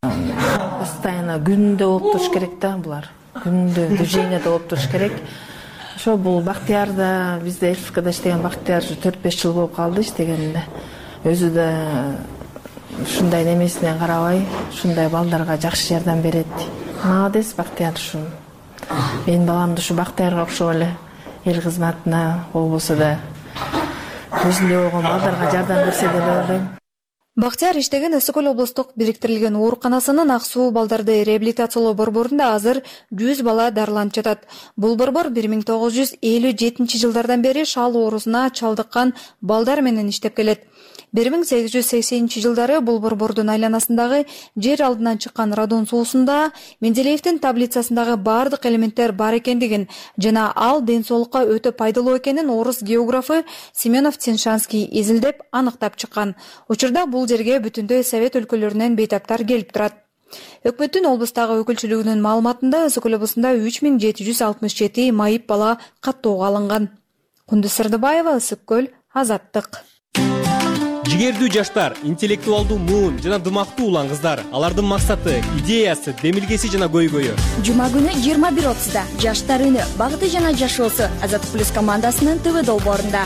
Постоянно күндө болуп туруш керек да булар. Күндө движениеде болуп туруш керек. Ошо бул Бактияр да бизде ЛФКда иштеген Бактияр 4-5 жыл болуп калды иштегенде. Өзү да ушундай немесинен карабай, ушундай балдарга жакшы жардам берет. Молодец Бактияр ушу. Менин баламды ушу Бактиярга окшоп эле эл кызматына болбосо да өзүндөй болгон балдарга жардам берсе деп ойлойм. Бактияр иштеген Ысык Көл облустук бириктирилген ооруканасынын ак суу балдарды реабилитациялоо борборунда азыр 100 бала дарыланып жатат. Бул борбор 1957-жылдардан бери шал оорусуна чалдыккан балдар менен иштеп келет. 1880-жылдары бул борбордун айланасындагы жер алдынан чыккан радон суусунда Менделеевдин таблицасындагы бардык элементтер бар экендигин жана ал ден соолукка өтө пайдалуу экенин орус географы Семенов-Тиншанский изилдеп аныктап чыккан. Учурда бул жерге бүтүндөй Совет өлкөлөрүнөн бейтаптар келип турат. Өкмөттүн облустагы өкүлчүлүгүнүн маалыматында Ысык Көл облусунда 3767 майып бала каттоого алынган. Кундуз Сырдыбаева, Ысык Көл, Азаттык. Жигердүү жаштар, интеллектуалдуу муун жана дымактуу улан кыздар. Алардын максаты, идеясы, демилгеси жана көйгөйү. Жума күнү 21:30-да жаштар үнү, багыты жана жашоосу Азаттык плюс командасынын ТВ долбоорунда.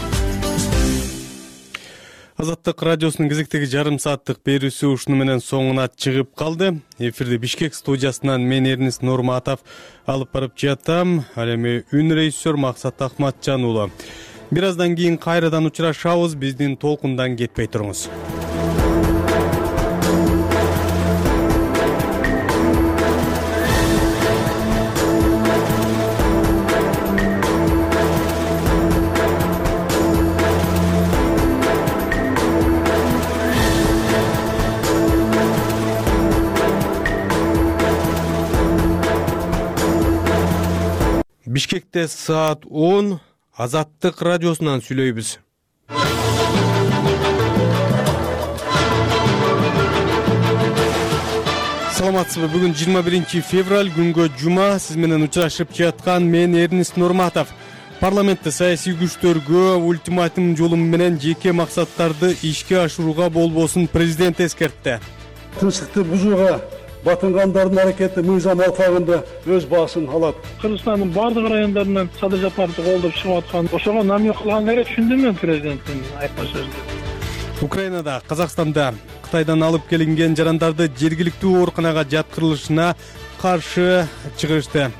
Азаттык радиосунун кезектеги жарым сааттык берүүсү ушуну менен соңуна чыгып калды. Эфирди Бишкек студиясынан мен Эрнис Нурматов алып барып жатам. Ал эми үн режиссер Максат Акматжан уулу. Бир аздан кийин кайрадан учурашабыз. Биздин толкундан кетпей туруңуз. Бишкекте саат 10 Азаттык радиосунан сүйлөйбүз. Саламатсызбы? Бүгүн 21 февраль күнгө жума. Сиз менен учурашып жаткан мен Эрнис Нурматов. Парламентте саясий күчтөргө ультиматум жолу менен жеке максаттарды ишке ашырууга болбосун президент эскертти. Тынчтыкты бузууга батынгандардын аракети мыйзам алкагында өз баасын алат. Кыргызстандын бардык райондорунан садыр жапарды колдоп чыгып аткан, ошого намек кылган эле түшүндүм мен президенттин айткан сөздөрүн. Украинада, Казакстанда Кытайдан алып келинген жарандарды жергиликтүү ооруканага жаткырылышына каршы чыгышты.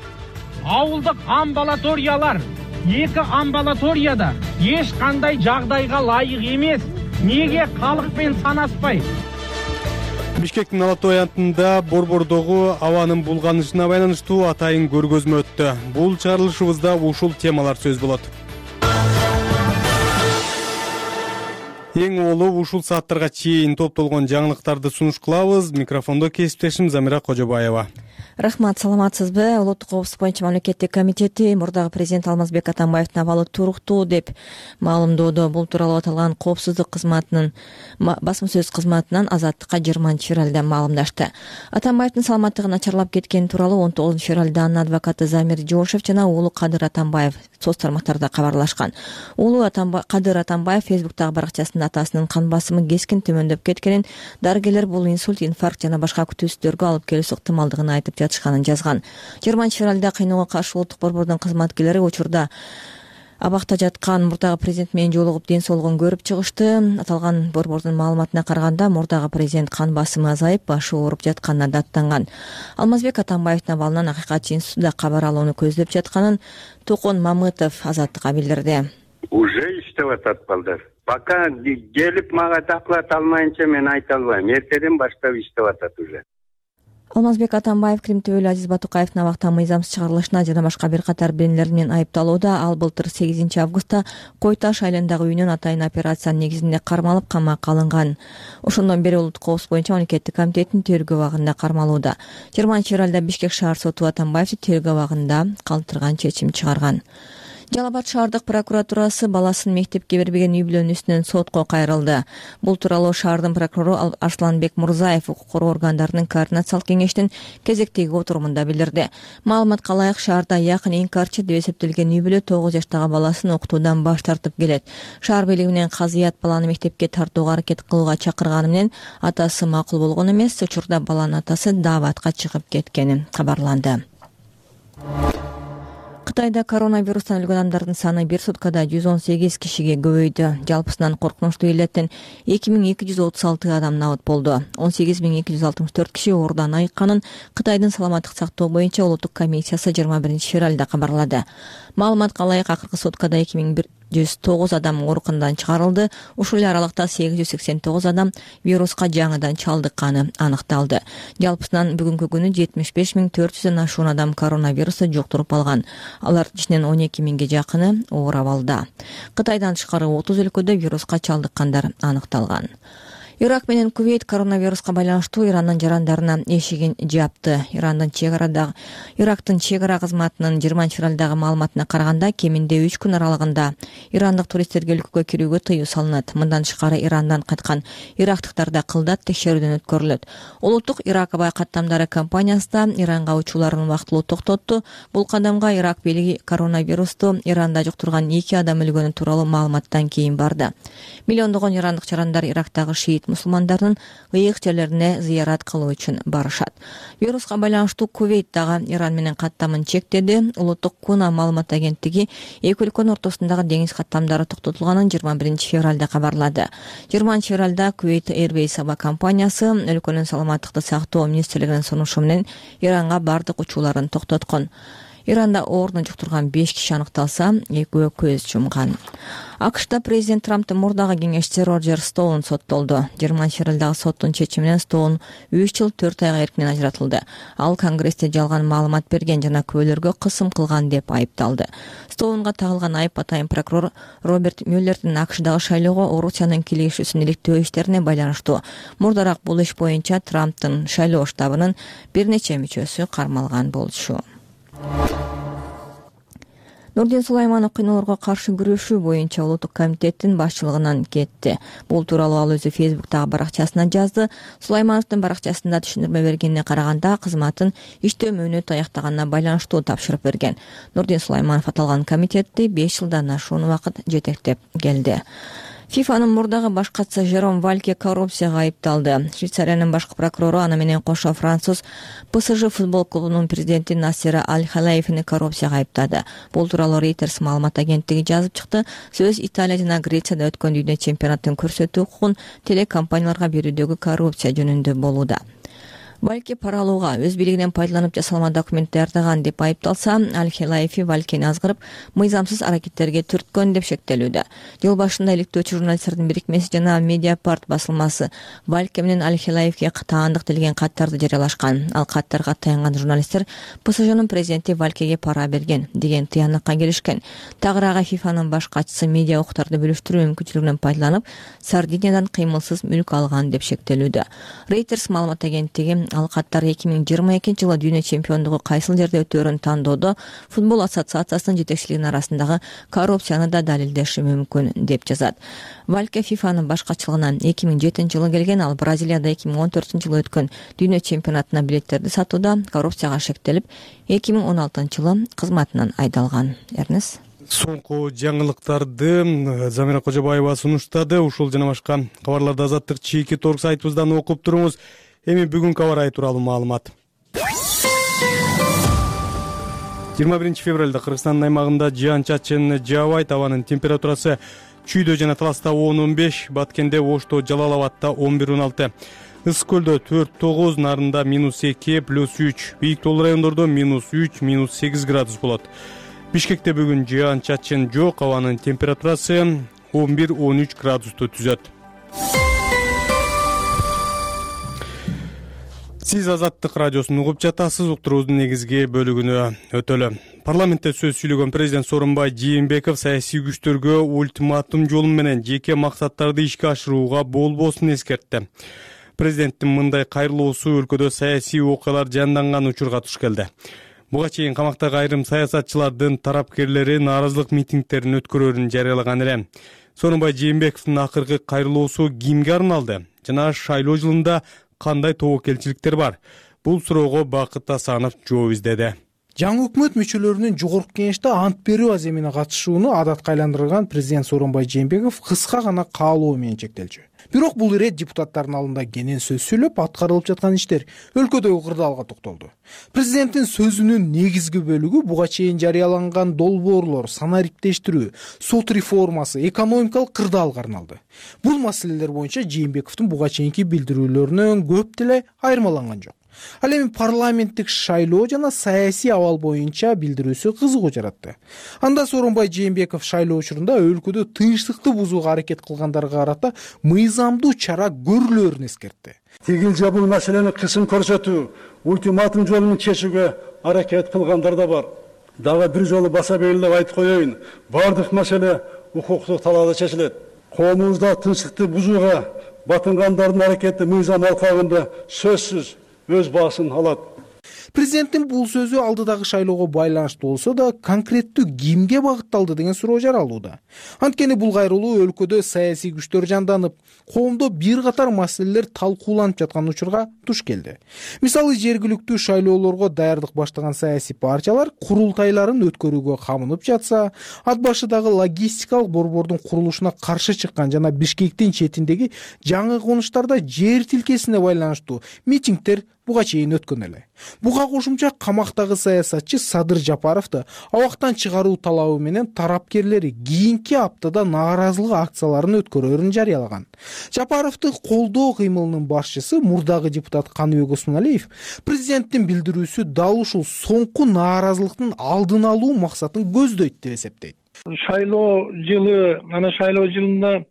Ауылдык амбулаториялар эки амбулаторияда эч кандай жагдайга ылайык эмес. Неге калык менен санаспай? Бишкектин Алатой антында Борбордогу абанын булганышына байланыштуу атайын көргөзмө өттү. Бул чыгарылышыбызда ушул темалар сөз болот. Эң олуу ушул сааттарга чейин топтолгон жаңылыктарды сунуш кылабыз. Микрофондо кесиптешим Замира Кожобаева. Рахмат, саламатсызбы? Улуттук коопсуздук боюнча мамлекеттик комитети мурдагы президент Алмазбек Атамбаевдин абалы туруктуу деп маалымдоодо. Бул тууралуу аталган коопсуздук кызматынын басма сөз кызматынан Азаттыкка 20 февралда маалымдашты. Атамбаевдин саламаттыгы начарлап кеткени тууралуу 19 февралда анын адвокаты Замир Жошев жана уулу Кадыр Атамбаев соц тармактарда кабарлашкан. Уулу Кадыр Атамбаев фейсбуктагы баракчасында атасынын кан басымы кескин төмөндөп кеткенин, дарыгерлер бул инсульт, инфаркт жана башка күтүүсүздөргө алып келүүсү ыктымалдыгын айтып жатышканын жазган. 20 февралда кыйноого каршы улуттук борбордун кызматкерлери учурда абакта жаткан мурдагы президент менен жолугуп ден соолугун көрүп чыгышты. Аталган борбордун маалыматына караганда мурдагы президент кан басымы азайып, башы ооруп жатканына даттанган. Алмазбек Атамбаевдин абалынан акыйкатчы институту кабар алууну көздөп жатканын Токон Мамытов Азаттыкка билдирди. Уже иштеп атат балдар. Пока келип мага доклад алмайынча мен айта албайм. Эртеден баштап иштеп атат уже. Алмазбек Атамбаев Крим төбөлү Азиз Батукаевдин абактан мыйзамсыз чыгарылышына жана башка бир катар беренелер менен айыпталууда. Ал былтыр 8 августта Кой Таш айылындагы үйүнөн атайын операция негизинде кармалып камакка алынган. Ошондон бери улуттук коопсуздук боюнча мамлекеттик комитеттин тергөө абагында кармалууда. 20 февралда Бишкек шаар соту Атамбаевди тергөө абагында калтырган чечим чыгарган. Жалал Абад шаардык прокуратурасы баласын мектепке бербеген үй бүлөнүн үстүнөн сотко кайрылды. Бул тууралуу шаардын прокурору Арсланбек Мурзаев укук коргоо органдарынын координациялык кеңештин кезектеги отурумунда билдирди. Маалыматка ылайык, шаарда якын инкарчы деп эсептелген үй бүлө 9 жаштагы баласын окутуудан баш тартып келет. Шаар бийлиги менен казыят баланы мектепке тартууга аракет кылууга чакырганы менен атасы макул болгон эмес. Учурда баланын атасы дааватка чыгып кеткени кабарланды. Кытайда коронавирустан өлгөн адамдардын саны бир суткада 118 кишиге көбөйдү. Жалпысынан коркунучтуу иллеттен 2236 адам набыт болду. 18264 киши оорудан айыкканын Кытайдын саламаттык сактоо боюнча улуттук комиссиясы 21 февралда кабарлады. Маалыматка ылайык, акыркы суткада 2109 адам ооруканадан чыгарылды. Ушул эле аралыкта 889 адам вируска жаңыдан чалдыкканы аныкталды. Жалпысынан бүгүнкү күнү 75400 ашуун адам коронавирусту жуктуруп алган. Алар ичинен 12000ге жакыны оор абалда. Кытайдан тышкары 30 өлкөдө вируска чалдыккандар аныкталган. Ирак менен Кувейт коронавируска байланыштуу Ирандын жарандарына эшигин жапты. Ирактын чегара кызматынын 20 февралдагы маалыматына караганда, кеминде 3 күн аралыгында ирандык туристтерге өлкөгө кирүүгө тыюу салынат. Мындан тышкары Ирандан кайткан ирактыктарда кылдат текшерүүдөн өткөрүлөт. Улуттук Ирак аба каттамдары компаниясы да Иранга учууларын убактылуу токтотту. Бул кадамга Ирак бийлиги коронавирусту Иранда жуктурган 2 адам өлгөнү тууралуу маалыматтан кийин барды. Миллиондогон ирандык жарандар Ирактагы шиит мусулмандарынын ыйык жерлерине зыярат кылуу үчүн барышат. Вируска байланыштуу Кувейт дагы Иран менен каттамын чектеди. Улуттук Куна маалымат агенттиги эки өлкөнүн ортосундагы деңиз каттамдары токтотулганын 21 февралда кабарлады. 20 февралда Kuwait Airways аба компаниясы өлкөнүн саламаттыкты сактоо министрлигинин сунушу менен Иранга бардык учууларын токтоткон. Иранда оорууну жуктурган 5 киши аныкталса, экөө көз жумган. АКШда президент Трамптын мурдагы кеңешчиси Роджер Стоун соттолду. 20 февралдагы соттун чечими менен Стоун 3 жыл 4 айга эркинен ажыратылды. Ал Конгрессте жалган маалымат берген жана күбөлөргө кысым кылган деп айыпталды. Стоунга тагылган айып атайын прокурор Роберт Мюллердин АКШдагы шайлоого Орусиянын кийлигишүүсүн иликтөө иштерине байланыштуу. Мурдараак бул иш боюнча Трамптын шайлоо штабынын бир нече мүчөсү кармалган болчу. Нурдин Сулайманов кыйноолорго каршы күрөшүү боюнча улуттук комитеттин башчылыгынан кетти. Бул тууралуу ал өзү Фейсбуктагы баракчасына жазды. Сулаймановдун баракчасында түшүндүрмө бергенине караганда кызматын иштөө мөөнөтү аяктаганына байланыштуу тапшырып берген. Нурдин Сулайманов аталган комитетти 5 жылдан ашуун убакыт жетектеп келди. ФИФАнын мурдагы баш катчысы Жером Вальке коррупцияга айыпталды. Швейцариянын башкы прокурору аны менен кошо француз ПСЖ футбол клубунун президенти Насер Аль-Халаевни коррупцияга айыптады. Бул тууралуу Reuters маалымат агенттиги жазып чыкты. Сөз Италия жана Грецияда өткөн дүйнө чемпионаттын көрсөтүү укугун телекомпанияларга берүүдөгү коррупция жөнүндө болууда. Вальке пара алууга өз бийлигинен пайдаланып жасалма документ даярдаган деп айыпталса, Аль-Халаеви Валькени азгырып, мыйзамсыз аракеттерге түрткөн деп шектелүүдө. Жыл башында иликтөөчү журналисттердин бирикмеси жана Mediapart басылмасы Вальке менен Аль-Халаевге таандык делген каттарды жарыялашкан. Ал каттарга таянган журналисттер ПСЖнын президенти Валькеге пара берген деген тыянакка келишкен. Тагыраагы ФИФАнын баш катчысы медиа укуктарды бөлүштүрүү мүмкүнчүлүгүнөн пайдаланып, Сардиниядан кыймылсыз мүлк алган деп шектелүүдө. Reuters маалымат агенттиги ал каттар 2022-жылы дүйнө чемпиондугу кайсыл жерде өтөөрүн тандоодо футбол ассоциациясынын жетекчилигинин арасындагы коррупцияны да далилдеши мүмкүн деп жазат. Вальке ФИФАнын баш катчылыгынан 2007-жылы келген, ал Бразилияда 2014-жылы өткөн дүйнө чемпионатына билеттерди сатууда коррупцияга шектелип, 2016-жылы кызматынан айдалган. Эрнес Соңку жаңылыктарды Замира Кожобаева сунуштады. Ушул жана башка кабарларды Азаттык чийки торг сайтыбыздан окуп туруңуз. Эми бүгүнкү аба ырайы тууралуу маалымат. 21 февралда Кыргызстандын аймагында жаан-чачын жаабайт. Абанын температурасы Чүйдө жана Таласта 10-15, Баткенде, Ошто, Жалал-Абадта 11-16, Ысык көлдө 4-9, Нарында -2, +3, бийик тоолуу райондордо -3, -8 градус болот. Бишкекте бүгүн жаан-чачын жок, абанын температурасы 11-13 градусту түзөт. Сиз Азаттык радиосун угуп жатасыз. Уктуруубуздун негизги бөлүгүнө өтөлү. Парламентте сөз сүйлөгөн президент Сооронбай Жээнбеков саясий күчтөргө ультиматум жолу менен жеке максаттарды ишке ашырууга болбосун эскертти. Президенттин мындай кайрылуусу өлкөдө саясий окуялар жанданган учурга туш келди. Буга чейин камактагы айрым саясатчылардын тарапкерлери нааразылык митингдерин өткөрөөрүн жарыялаган эле. Сооронбай Жээнбековдун акыркы кайрылуусу кимге арналды жана шайлоо жылында кандай тобокелчиликтер бар? Бул суроого Бакыт Асанов жооп издеди. Жаңы өкмөт мүчөлөрүнүн жогорку кеңеште ант берүү аземине катышууну адатка айландырган президент Сооронбай Жээнбеков кыска гана каалоо менен чектелчү. Бирок бул ирет депутаттардын алдында кенен сөз сүйлөп, аткарылып жаткан иштер, өлкөдөгү кырдаалга токтолду. Президенттин сөзүнүн негизги бөлүгү буга чейин жарыяланган долбоорлор, санариптештирүү, сот реформасы, экономикалык кырдаалга арналды. Бул маселелер боюнча Жээнбековдун буга чейинки билдирүүлөрүнөн көп деле айырмаланган жок. Ал эми парламенттик шайлоо жана саясий абал боюнча билдирүүсү кызыгуу жаратты. Анда Сооронбай Жээнбеков шайлоо учурунда өлкөдө тынчтыкты бузууга аракет кылгандарга карата мыйзамдуу чара көрүлөөрүн эскертти. Тигилже бул маселени кысым көрсөтүү, ультиматум жолу менен чечүүгө аракет кылгандар да бар. Дагы бир жолу баса белгилеп айтып коеюн, бардык маселе укуктук талаада чечилет. Коомубузда тынчтыкты бузууга батынгандардын аракети мыйзам алкагында сөзсүз өз баасын алат. Президенттин бул сөзү алдыдагы шайлоого байланыштуу болсо да конкреттүү кимге багытталды деген суроо жаралууда. Анткени бул кайрылуу өлкөдө саясий күчтөр жанданып, коомдо бир катар маселелер талкууланып жаткан учурга туш келди. Мисалы, жергиликтүү шайлоолорго даярдык баштаган саясий партиялар курултайларын өткөрүүгө камынып жатса, ат башыдагы логистикалык борбордун курулушуна каршы чыккан жана Бишкектин четиндеги жаңы конуштарда жер тилкесине байланыштуу митингдер буга чейин өткөн эле. Буга кошумча камактагы саясатчы Садыр Жапаровду абактан чыгаруу талабы менен тарапкерлери кийинки аптада нааразылык акцияларын өткөрөрүн жарыялаган. Жапаровду колдоо кыймылынын башчысы мурдагы депутат Каныбек Осмоналиев президенттин билдирүүсү дал ушул соңку нааразылыктын алдын алуу максатын көздөйт деп эсептейт. Шайлоо жылында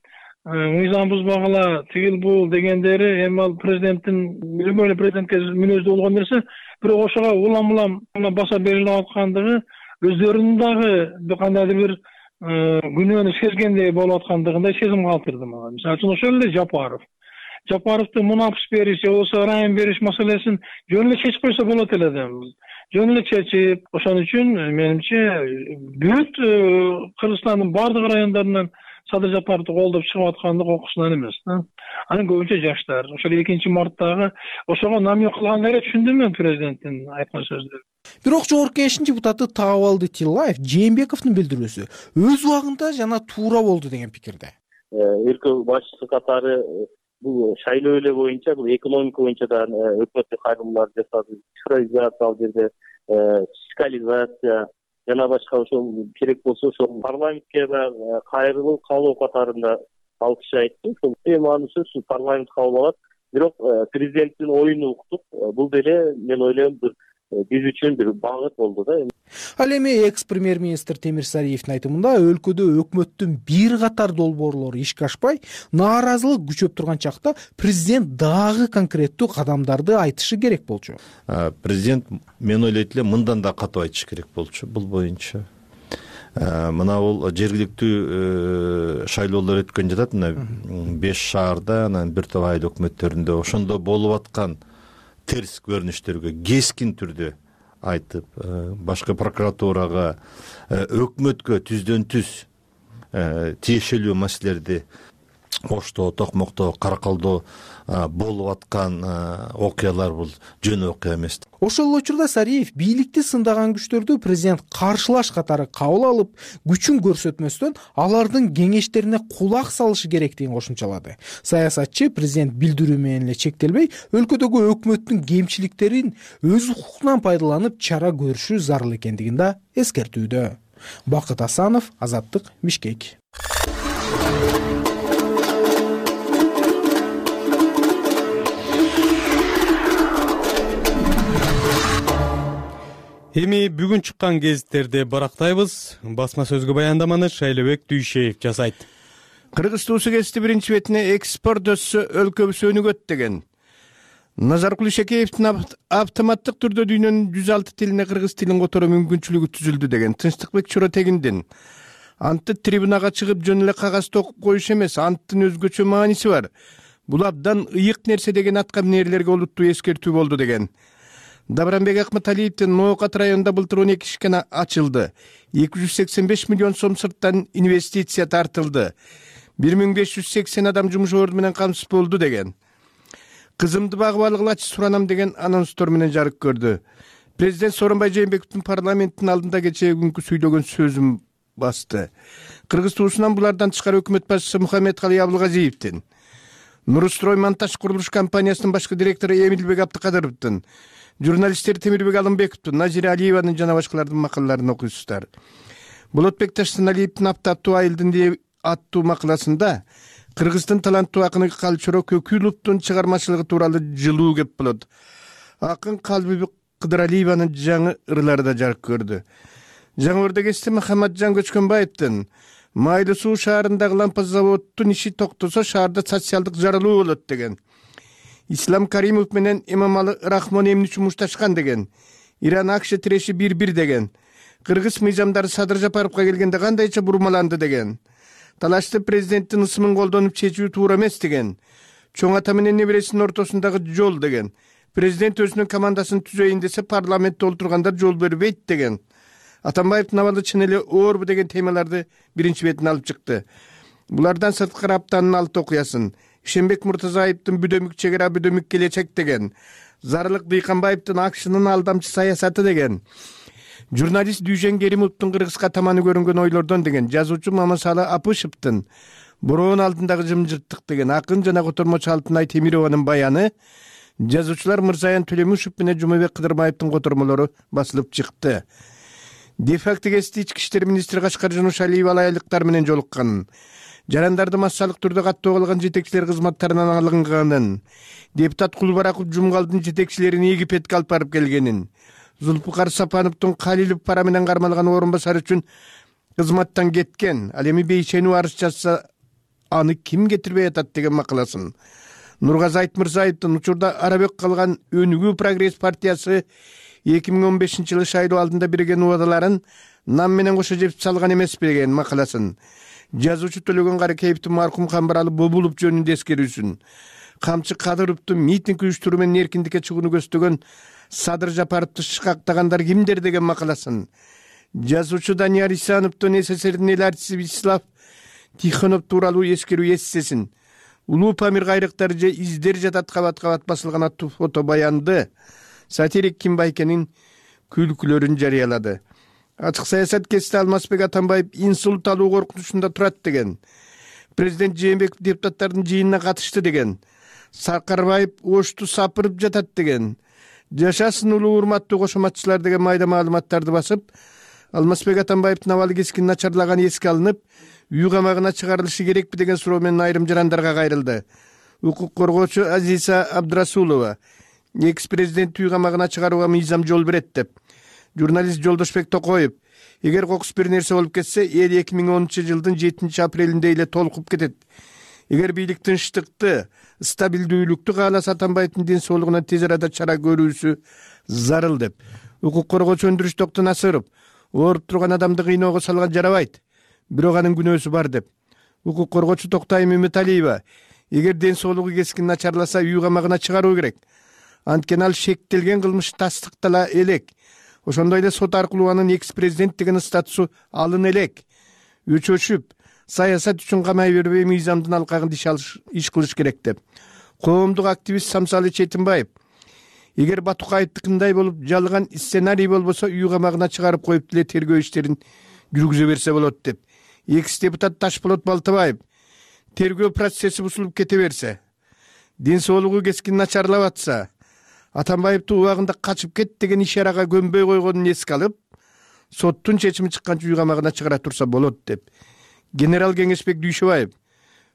мыйзам бузбагыла тигил бул дегендери эми ал президенттин билбейм президентке мүнөздүү болгон нерсе, бирок ошого улам баса берилип аткандыгы өздөрүнүн дагы кандайдыр бир күнөөнү сезгендей болуп аткандыгындай сезим калтырды мага. Мисалы үчүн ошол эле Жапаровдун мунапс бериш же болбосо ырайым бериш маселесин жөн эле чечип койсо болот эле деп. Жөн эле чечип, ошон үчүн менимче бүт Кыргызстандын бардык райондорунан Садыр Жапаровду колдоп чыгып аткандык окуусунан эмес да. Анын көбүнчө жаштар. Ошол 2-марттагы ошого намек кылган эле түшүндүм мен президенттин айткан сөздөрүн. Бирок Жогорку Кеңештин депутаты Таабалды Тилаев Жээнбековдун билдирүүсү өз убагында жана туура болду деген пикирде. Өлкө башчысы катары бул шайлоо эле боюнча, бул экономика боюнча да өкмөттүк кайрылуулар жасады, цифровизация ал жерде, фискализация жана башка ошол керек болсо ошол парламентке да кайрылуу кабыл катарында ал киши айтты. Ошол эң маанисиси парламент кабыл алат. Бирок президенттин оюн уктук. Бул деле мен ойлойм биз үчүн бир багыт болду да. Ал эми экс-премьер-министр Темир Сариевдин айтымында өлкөдө өкмөттүн бир катар долбоорлору ишке ашпай, нааразылык күчөп турган чакта президент дагы конкреттүү кадамдарды айтышы керек болчу. Президент мен ойлойт элем мындан да катуу айтыш керек болчу бул боюнча. Мына бул жергиликтүү шайлоолор өткөн жатат, мына 5 шаарда, анан бир топ айыл өкмөттөрүндө ошондо болуп аткан терс көрүнүштөргө кескин түрдө айтып, башкы прокуратурага, өкмөткө түздөн түз тиешелүү маселелерди Оштоо, Токмокто, Каракалдо болуп аткан окуялар бул жөн окуя эмес. Ошол учурда Сариев бийликти сындаган күчтөрдү президент каршылаш катары кабыл алып, күчүн көрсөтмөстөн алардын кеңештерине кулак салышы керектигин кошумчалады. Саясатчы президент билдирүү менен эле чектелбей, өлкөдөгү өкмөттүн кемчиликтерин өз укугунан пайдаланып чара көрүшү зарыл экендигин да эскертүүдө. Бакыт Асанов, Азаттык, Бишкек. Эми бүгүн чыккан гезиттерди барактайбыз. Басма сөзгө баяндаманы Шайлообек Дүйшеев жасайт. Кыргыз туусу кести биринчи бетине экспорт өссө өлкөбүз өнүгөт деген. Назаркул Ишекеевдин автоматтык түрдө дүйнөнүн 106 тилине кыргыз тилин которуу мүмкүнчүлүгү түзүлдү деген. Тынчтыкбек Чоротегиндин анты трибунага чыгып жөн эле кагазды окуп коюш эмес, анттын өзгөчө мааниси бар. Бул абдан ыйык нерсе деген атка минерлерге олуттуу эскертүү болду деген. Дабранбек Акматалиевдин Ноокат районунда былтыр 12 ишкана ачылды. 285 миллион сом сырттан инвестиция тартылды. 1580 адам жумуш орду менен камсыз болду деген. Кызымды багып алгылачы суранам деген анонстор менен жарык көрдү. Президент Сооронбай Жээнбековдун парламенттин алдында кечээ күнкү сүйлөгөн сөзүн басты. Кыргыз туусунан булардан тышкары өкмөт башчысы Мухаммедкалый Абылгазиевдин, Нурстрой монтаж курулуш компаниясынын башкы директору Эмилбек Абдыкадыровдун, журналисттер Темирбек Алымбековдун, Назира Алиеванын жана башкалардын макалаларын окуйсуздар. Болотбек Таштаналиевдин Аптаттуу айылдын деп аттуу макаласында Кыргыздын таланттуу акыны Калчоро Көкүловдун чыгармачылыгы тууралуу жылуу кеп болот. Акын Калбибек Кыдыралиеванын жаңы ырлары да жарык көрдү. Жаңы Ордо кести Махаматжан Көчкөнбаевдин Майлы суу шаарындагы лампа заводдун иши токтосо шаарда социалдык жарылуу болот деген. Ислам Каримов менен Эмомалы Рахмон эмне үчүн мушташкан деген. Иран АКШ тиреши 1-1 деген. Кыргыз мыйзамдары Садыр Жапаровго келгенде кандайча бурмаланды деген. Талашты президенттин ысымын колдонуп чечүү туура эмес деген. Чоң ата менен небересинин ортосундагы жол деген. Президент өзүнүн командасын түзөйүн десе парламентте отургандар жол бербейт деген. Атамбаевдин абалы чын эле оорбу деген темаларды биринчи бетине алып чыкты. Булардан сырткары аптанын 6 окуясын, Ишенбек Муртазаевдин бүдөмүк чегара бүдөмүк келечек деген, Зарылык Дыйканбаевдин акшынын алдамчы саясаты деген, журналист Дүйжен Керимовдун кыргызга таманы көрүнгөн ойлордон деген, жазуучу Мамасалы Апышевдин бороон алдындагы жымжырттык деген, акын жана котормочу Алтынай Темированын баяны, жазуучулар Мырзаян Төлөмүшев менен Жумабек Кыдырбаевдин котормолору басылып чыкты. Де-факто кести ички иштер министри Кашкар Жунушалиева алайлыктар менен жолукканын, жарандарды массалык түрдө каттоо кылган жетекчилер кызматтарынан алынганын, депутат Кулбараков Жумгалдын жетекчилерин Египетке алып барып келгенин, Зулпукар Сапановдун Калилов пара менен кармалган орун басары үчүн кызматтан кеткен, ал эми бейшенүү арыз жазса аны ким кетирбей атат деген макаласын, Нургазы Айтмырзаевдин учурда арабек калган Өнүгүү Прогресс партиясы 2015-жылы шайлоо алдында берген убадаларын нам менен кошо жеп салган эмес деген макаласын, жазуучу Төлөгөн Каракеевдин маркум Камбаралы Бобулов жөнүндө эскерүүсүн, Камчы Кадыровдун митинг уюштуруу менен эркиндикке чыгууну көздөгөн Садыр Жапаровду шыкактагандар кимдер деген макаласын, жазуучу Данияр Исановдун СССРдин эл артисти Вячеслав Тихонов тууралуу эскерүү эссесин, Улуу Памир кайрыктары же издер жатат кабат-кабат басылган аттуу фото баянды сатирик Ким Байкенин күлкүлөрүн жарыялады. Ачык саясат кести Алмазбек Атамбаев инсульт алуу коркунучунда турат деген, президент Жээнбеков депутаттардын жыйынына катышты деген, Саркарбаев ошту сапырып жатат деген, жашасын улуу урматтуу кошоматчылар деген майда маалыматтарды басып, Алмазбек Атамбаевдин абалы кескин начарлаганы эске алынып, үй камагына чыгарылышы керекпи деген суроо менен айрым жарандарга кайрылды. Укук коргоочу Азиза Абдрасулова экс-президент үй камагына чыгарууга мыйзам жол берет деп, журналист Жолдошбек Токоев эгер кокус бир нерсе болуп кетсе, эл 2010-жылдын 7-апрелинде эле толкуп кетет. Эгер бийлик тынчтыкты, стабилдүүлүктү кааласа Атамбаевдин ден соолугуна тез арада чара көрүүсү зарыл деп. Укук коргоочу Өндүрүш Токтонасыров ооруп турган адамды кыйноого салган жарабайт, бирок анын күнөөсү бар деп. Укук коргоочу Токтай Мөмөталиева эгер ден соолугу кескин начарласа, үй камагына чыгаруу керек. Анткени ал шектелген кылмыш тастыктала элек. Ошондой эле сот аркылуу анын экс-президент деген статусу алына элек. Өчөшүп, саясат үчүн камай бербей мыйзамдын алкагын иш кылыш керек деп. Коомдук активист Самсалы Четимбаев эгер Батукаевдикиндай болуп жалган сценарий болбосо, үй камагына чыгарып коюп деле тергөө иштерин жүргүзө берсе болот деп. Экс-депутат Ташполот Балтабаев тергөө процесси бузулуп кете берсе, ден соолугу кескин начарлап атса, Атамбаевди убагында качып кет деген ишарага көнбөй койгонун эске алып, соттун чечими чыкканча үй камагына чыгара турса болот деп. Генерал Кеңешбек Дүйшөбаев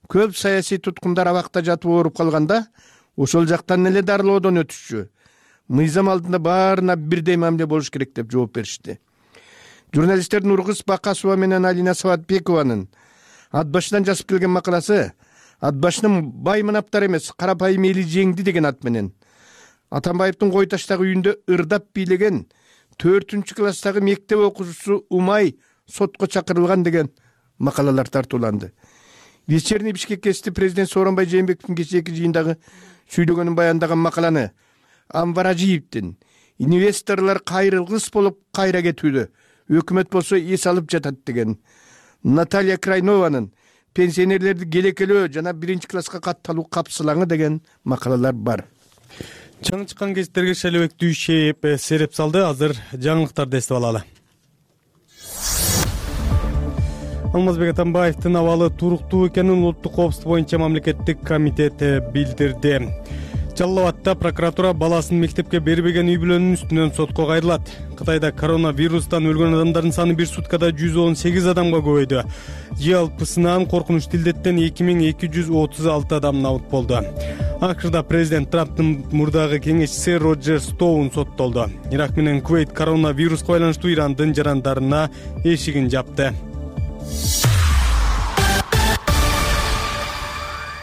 көп саясий туткундар абакта жатып ооруп калганда, ошол жактан эле дарылоодон өтүшчү. Мыйзам алдында баарына бирдей мамиле болуш керек деп жооп беришти. Журналисттер Нургыз Бакасова менен Алина Саватбекованын ат башынан жазып келген макаласы «Атбашынын бай мынаптар эмес, карапайым эли жеңди» деген ат менен Атамбаевдин Кой таштагы үйүндө ырдап бийлеген 4-класстагы мектеп окуучусу Умай сотко чакырылган деген макалалар тартууланды. Вечерний Бишкек кести президент Сооронбай Жээнбековдун кечээки жыйындагы сүйлөгөнүн баяндаган макаланы Анвар Ажиевдин инвесторлор кайрылгыс болуп кайра кетүүдө, өкмөт болсо эс алып жатат деген, Наталья Крайнованын пенсионерлерди келекелөө жана 1-класска катталуу капсылаңы деген макалалар бар. Жаңы чыккан гезиттерге Шайлообек Дүйшөев сереп салды. Азыр жаңылыктарды эстеп алалы. Алмазбек Атамбаевдин абалы туруктуу экенин улуттук коопсуздук боюнча мамлекеттик комитет билдирди. Жалал Абадда прокуратура баласын мектепке бербеген үй бүлөнүн үстүнөн сотко кайрылат. Кытайда коронавирустан өлгөн адамдардын саны бир суткада 118 адамга көбөйдү. Жалпысынан коркунучтуу илдеттен 2236 адам набыт болду. Акырда президент Трамптын мурдагы кеңешчиси Роджер Стоун соттолду. Ирак менен Кувейт коронавируска байланыштуу Ирандын жарандарына эшигин жапты.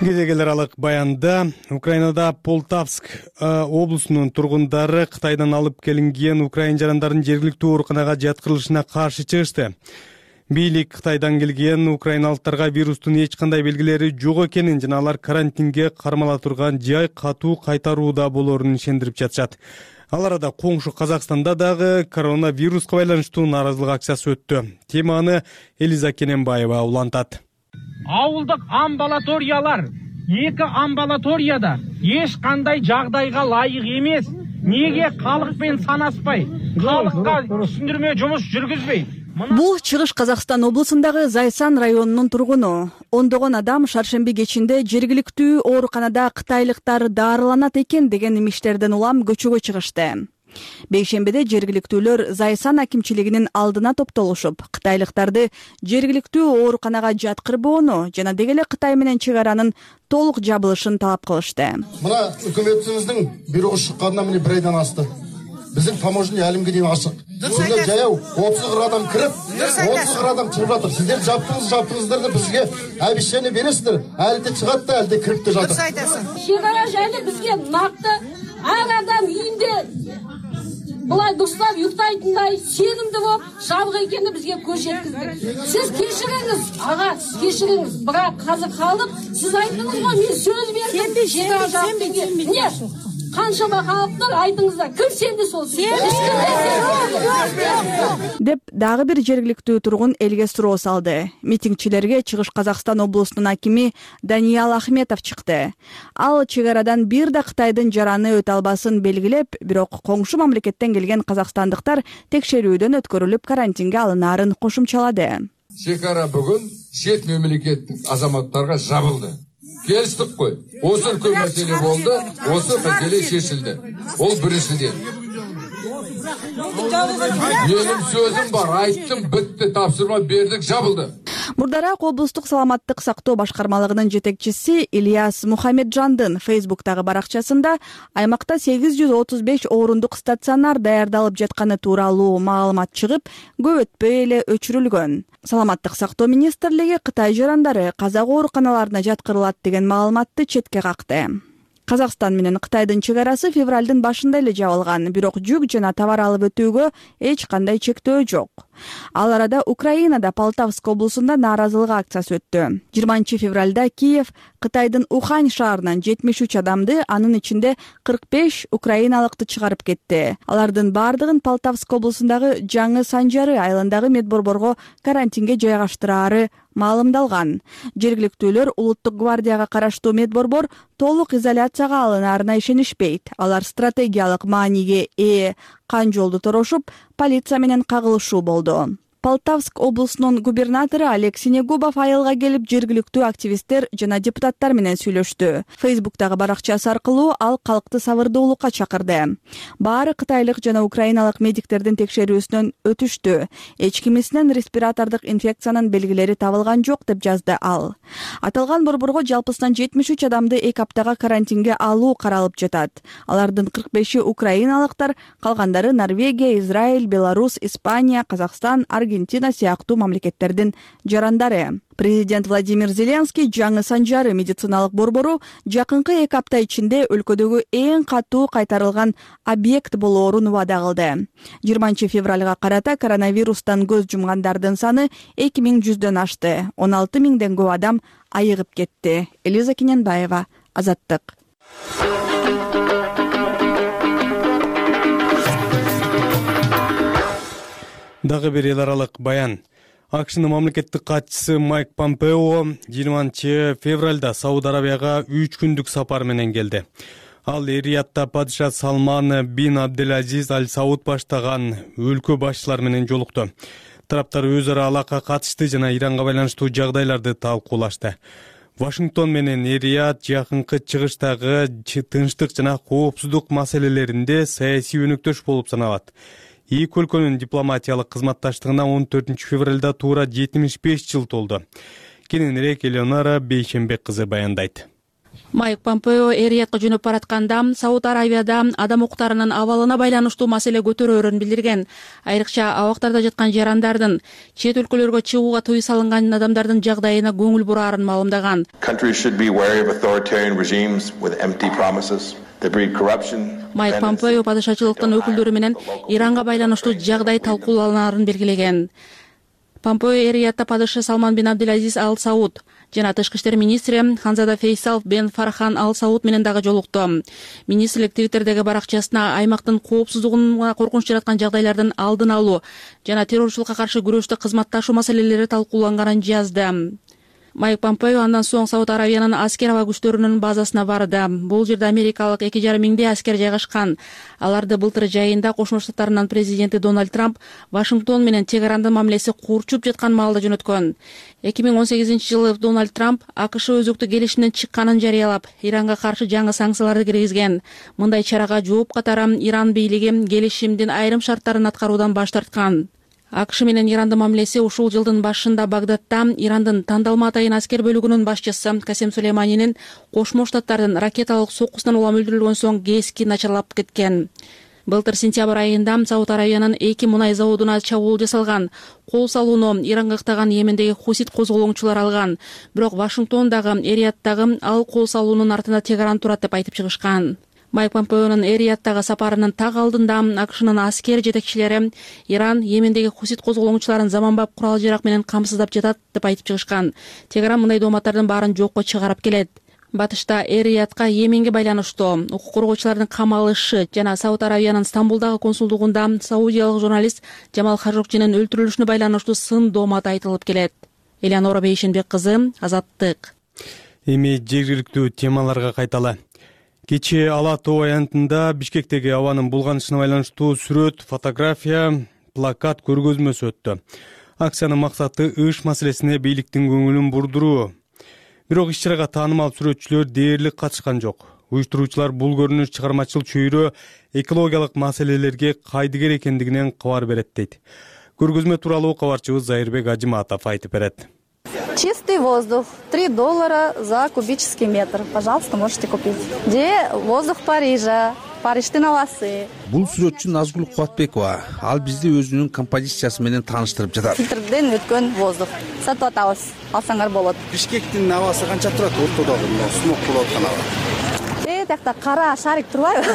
Кезегелер алык баянда Украинада Полтавск облусунун тургундары Кытайдан алып келинген украин жарандарын жергиликтүү ооруканага жаткырылышына каршы чыгышты. Бийлик Кытайдан келген украиналыктарга вирустун эч кандай белгилери жок экенин жана алар карантинге кармала турган жай катуу кайтарууда болоорун ишендирип жатышат. Ал арада коңшу Казакстанда дагы коронавируска байланыштуу нааразылык акциясы өттү. Теманы Элиза Кененбаева улантат. Ауылдык амбулаториялар 2 амбулаторияда эч кандай жагдайга ылайык эмес. Неге калыкпен санаспай, калыкка түшүндүрмө жумуш жүргүзбөйт? Бул Чыгыш Казакстан облусундагы Зайсан районунун тургуну. Ондогон адам шаршемби кечинде жергиликтүү ооруканада кытайлыктар даарыланат экен деген имиштерден улам көчөгө чыгышты. Бейшембиде жергиликтүүлөр Зайсан акимчилигинин алдына топтолушуп, кытайлыктарды жергиликтүү ооруканага жаткырбоону жана деги эле Кытай менен чек аранын толук жабылышын талап кылышты. Мына өкмөтүбүздүн бирөө чыкканына мына 1 айдан асты. Биздин таможня әлемге дейин ачык. Сиздер жаяу 30 адам кирип, 30 адам чыгып жатыр. Сиздер жаптыңыздар да бизге обещание бересиздер. Әлде чыгат да, әлде кирип да жатыр. Чек ара жайлы бизге накты ар адам үйүндө булай дурстап уктайтындай сенимди болуп жабык экени бизге көз жеткизди. Сиз кечириңиз, ага, сиз кечириңиз. Бирок азыр калдык, сиз айттыңыз го, мен сөз бердим. Эмне? Канчама калыптыр, айтыңыздар. Ким сенди сол? Деп дагы бир жергиликтүү тургун элге суроо салды. Митингчилерге Чыгыш Казакстан облусунун акими Даниал Ахметов чыкты. Ал чек арадан бир да Кытайдын жараны өтө албасын белгилеп, бирок коңшу мамлекеттен келген казакстандыктар текшерүүдөн өткөрүлүп карантинге алынаарын кошумчалады. Чек ара бүгүн чет мемлекеттин азаматтарга жабылды. Келістік қой. Осы үлкен мәселе болды, осы мәселе шешілді. Ол біріншіден. Менің сөзім бар, айттым, бітті, тапсырма бердік, жабылды. Мурдараак облустук саламаттык сактоо башкармалыгынын жетекчиси Ильяс Мухамеджандын Фейсбуктагы баракчасында аймакта 835 орундук стационар даярдалып жатканы тууралуу маалымат чыгып, көп өтпөй эле өчүрүлгөн. Саламаттык сактоо министрлиги Кытай жарандары казак ооруканаларына жаткырылат деген маалыматты четке какты. Казакстан менен Кытайдын чек арасы февралдын башында эле жабылган, бирок жүк жана товар алып өтүүгө эч кандай чектөө жок. Ал арада Украинада Полтавск облусунда нааразылык акциясы өттү. 20 февралда Киев Кытайдын Ухань шаарынан 73 адамды, анын ичинде 45 украиналыкты чыгарып кетти. Алардын бардыгын Полтавск облусундагы Жаңы Санжары айылындагы медборборго карантинге жайгаштыраары маалымдалган. Жергиликтүүлөр улуттук гвардияга караштуу медборбор толук изоляцияга алынаарына ишенишпейт. Алар стратегиялык мааниге ээ кан жолду торошуп, полиция менен кагылышуу болду. Полтавск облусунун губернатору Олег Синегубов айылга келип, жергиликтүү активисттер жана депутаттар менен сүйлөштү. Фейсбуктагы баракчасы аркылуу ал калкты сабырдуулукка чакырды. Баары кытайлык жана украиналык медиктердин текшерүүсүнөн өтүштү. Эч кимисинен респиратордук инфекциянын белгилери табылган жок деп жазды ал. Аталган борборго жалпысынан 73 адамды 2 аптага карантинге алуу каралып жатат. Алардын 45-и украиналыктар, калгандары Норвегия, Израиль, Беларусь, Испания, Казакстан, Аргентина сыяктуу мамлекеттердин жарандары. Президент Владимир Зеленский Жаңы Санжары медициналык борбору жакынкы 2 апта ичинде өлкөдөгү эң катуу кайтарылган объект болоорун убада кылды. 20 февралга карата коронавирустан көз жумгандардын саны 2100дөн ашты. 16 миңден көп адам айыгып кетти. Элиза Кененбаева, Азаттык. Дагы бир эл аралык баян. АКШнын мамлекеттик катчысы Майк Помпео 20 февралда Сауд Арабияга 3 күндүк сапар менен келди. Ал Риядда падыша Салман бин Абделазиз Аль Сауд баштаган өлкө башчылар менен жолукту. Тараптар өз ара алака катышты жана Иранга байланыштуу жагдайларды талкуулашты. Вашингтон менен Рияд жакынкы чыгыштагы тынчтык жана коопсуздук маселелеринде саясий өнөктөш болуп саналат. Эки өлкөнүн дипломатиялык кызматташтыгына 14 февралда туура 75 жыл толду. Кененирээк Элеонора Бейшембек кызы баяндайт. Майк Помпео Риядга жөнөп баратканда Сауд Арабияда адам укуктарынын абалына байланыштуу маселе көтөрөөрүн билдирген. Айрыкча абактарда жаткан жарандардын, чет өлкөлөргө чыгууга тыюу салынган адамдардын жагдайына көңүл бураарын маалымдаган. Майк Помпео падышачылыктын өкүлдөрү менен Иранга байланыштуу жагдай талкууланаарын белгилеген. Помпео эр-Риядда падышы Салман бин Абдулазиз Ал Сауд жана тышкы иштер министри Ханзада Фейсал бен Фархан Ал Сауд менен дагы жолукту. Министрлик Твиттердеги баракчасына аймактын коопсуздугуна коркунуч жараткан жагдайлардын алдын алуу жана террорчулукка каршы күрөштө кызматташуу маселелери талкууланганын жазды. Майк Помпео андан соң Сауд Аравиянын аскер аба күчтөрүнүн базасына барды. Бул жерде америкалык 2,5 миңдей аскер жайгашкан. Аларды былтыр жайында Кошмо Штаттарынын президенти Дональд Трамп Вашингтон менен чек-арандын мамилеси курчуп жаткан маалда жөнөткөн. 2018-жылы Дональд Трамп АКШ өзөктүк келишимден чыкканын жарыялап, Иранга каршы жаңы санкцияларды киргизген. Мындай чарага жооп катары Иран бийлиги келишимдин айрым шарттарын аткаруудан баш тарткан. АКШ менен Ирандын мамилеси ушул жылдын башында Багдадда Ирандын Тандалма атайын аскер бөлүгүнүн башчысы Касем Сулейманинин Кошмо Штаттардын ракеталык соккусунан улам өлтүрүлгөн соң кесkin начарлап кеткен. Былтыр сентябрь айында Сауд Аравиянын 2 мунай заводуна чабуул жасалган. Кол салууну Иранга ыктаган Йемендеги хусит козголоңчулар алган. Бирок Вашингтондагы эр-Рияддагы ал кол салуунун артында Тегеран турат деп айтып чыгышкан. Майк Помпеонун эр-Рияддагы сапарынын так алдында АКШнын аскер жетекчилери Иран Йемендеги хусит козголоңчуларын заманбап курал-жарак менен камсыздап жатат деп айтып чыгышкан. Тегеран мындай дооматтардын баарын жокко чыгарып келет. Батышта эр-Риядка Йеменге байланыштуу укук коргоочулардын камалышы жана Сауд Аравиянын Стамбулдагы консулдугунда саудиялык журналист Жамал Хажокчинин өлтүрүлүшүнө байланыштуу сын доомат айтылып келет. Элеонора Бейшенбек кызы, Азаттык. Эми жергиликтүү темаларга кайталы. Кечээ Ала тоо аянтында Бишкектеги абанын булганышына байланыштуу сүрөт, фотография, плакат көргөзмөсү өттү. Акциянын максаты ыш маселесине бийликтин көңүлүн бурдуруу. Бирок иш-чарага таанымал сүрөтчүлөр дээрлик катышкан жок. Уюштуруучулар бул көрүнүш чыгармачыл чөйрө экологиялык маселелерге кайдыгер экендигинен кабар берет дейт. Көргөзмө тууралуу кабарчыбыз Зайырбек Ажыматов айтып берет. Чистый воздух. $3 за кубический метр. Пожалуйста, можете купить. Где воздух Парижа? Париштин абасы. Бул сүрөтчү Назгүл Кубатбекова. Ал бизди өзүнүн композициясы менен тааныштырып жатат. Фильтрден өткөн воздух. Сатып атабыз. Алсаңар болот. Бишкектин абасы канча турат? Ортодогу смог болуп аткан аба. Тиякта кара шарик турбайбы?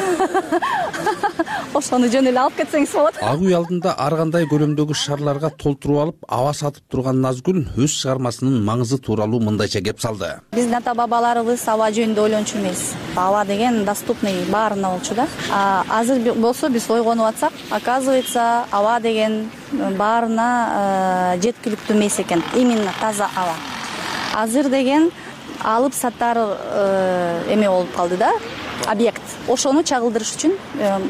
Ошону жөн эле алып кетсеңиз болот. Ак үй алдында ар кандай көлөмдөгү шарларга толтуруп алып, аба сатып турган Назгүл өз чыгармасынын маңызы тууралуу мындайча кеп салды. Биздин ата бабаларыбыз аба жөнүндө ойлончу эмес. Аба деген доступный баарына болчу да. Азыр болсо биз ойгонуп атсак, оказывается, аба деген баарына жеткиликтүү эмес экен. Именно таза аба. Азыр деген алып сатар эме болуп калды да, объект. Ошону чагылдырыш үчүн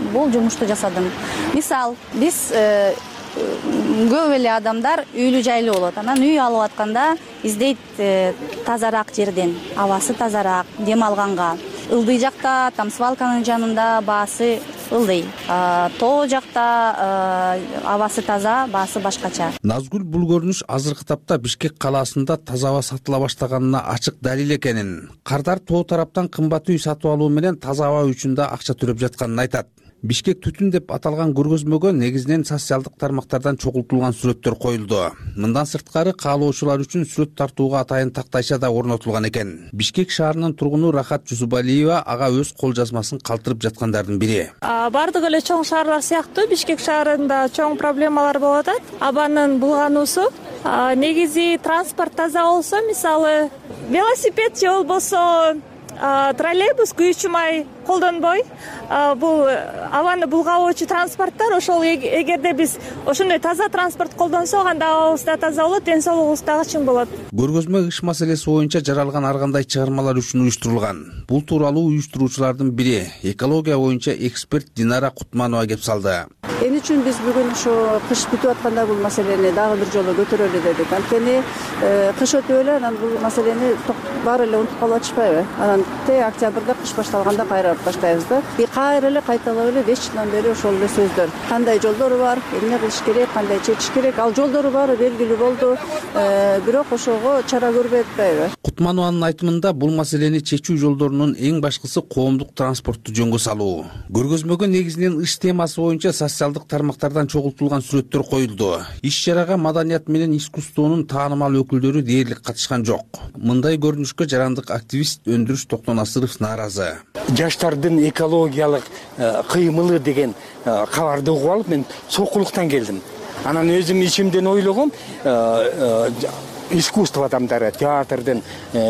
бул жумушту жасадым. Мисал, биз көп эле адамдар үйлүү жайлуу болот. Анан үй алып атканда издейт тазараак жерден, абасы тазараак, дем алганга. Ылдый жакта, там свалканын жанында баасы ылдый. Тоо жакта абасы таза, баасы башкача. Назгүл бул көрүнүш азыркы тапта Бишкек калаасында таза аба сатыла баштаганына ачык далил экенин, кардар тоо тараптан кымбат үй сатып алуу менен таза аба үчүн да акча төлөп жатканын айтат. Бишкек түтүн деп аталган көргөзмөгө негизинен социалдык тармактардан чогултулган сүрөттөр коюлду. Мындан сырткары каалоочулар үчүн сүрөт тартууга атайын тактайча да орнотулган экен. Бишкек шаарынын тургуну Рахат Жусубалиева ага өз кол жазмасын калтырып жаткандардын бири. Бардык эле чоң шаарлар сыяктуу Бишкек шаарында чоң проблемалар болуп атат. Абанын булгануусу. Негизи транспорт таза болсо, мисалы, велосипед же болбосо троллейбус күйүүчү май колдонбой, бул абаны булгабоочу транспорттор, ошол эгерде биз ошондой таза транспорт колдонсок, анда абабыз да таза болот, ден соолугубуз дагы чың болот. Көргөзмө ыш маселеси боюнча жаралган ар кандай чыгармалар үчүн уюштурулган. Бул тууралуу уюштуруучулардын бири, экология боюнча эксперт Динара Кутманова кеп салды. Эмне үчүн биз бүгүн ушу кыш бүтүп атканда бул маселени дагы бир жолу көтөрөлү дедик. Анткени кыш өтүп эле анан бул маселени баары эле унутуп калып атышпайбы? Анан октябрда кыш башталганда кайра баштайбыз да. Кайра эле кайталап эле 5 жылдан бери ошол эле сөздөр. Кандай жолдору бар, эмне кылыш керек, кандай чечиш керек, ал жолдору баары белгилүү болду. Бирок ошого чара көрбөй атпайбы? Кутманованын айтымында бул маселени чечүү жолдорунун эң башкысы коомдук транспортту жөнгө салуу. Көргөзмөгө негизинен ыш темасы боюнча социалдык тармактардан чогултулган сүрөттөр коюлду. Иш-чарага маданият менен искусствонун таанымал өкүлдөрү дээрлик катышкан жок. Мындай көрүнүшкө жарандык активист Өндүрүш Токтонасыров нааразы. Жаштардын экологиялык кыймылы деген кабарды угуп алып мен сокулуктан келдим. Анан өзүм ичимден ойлогом, искусство адамдары, театрдын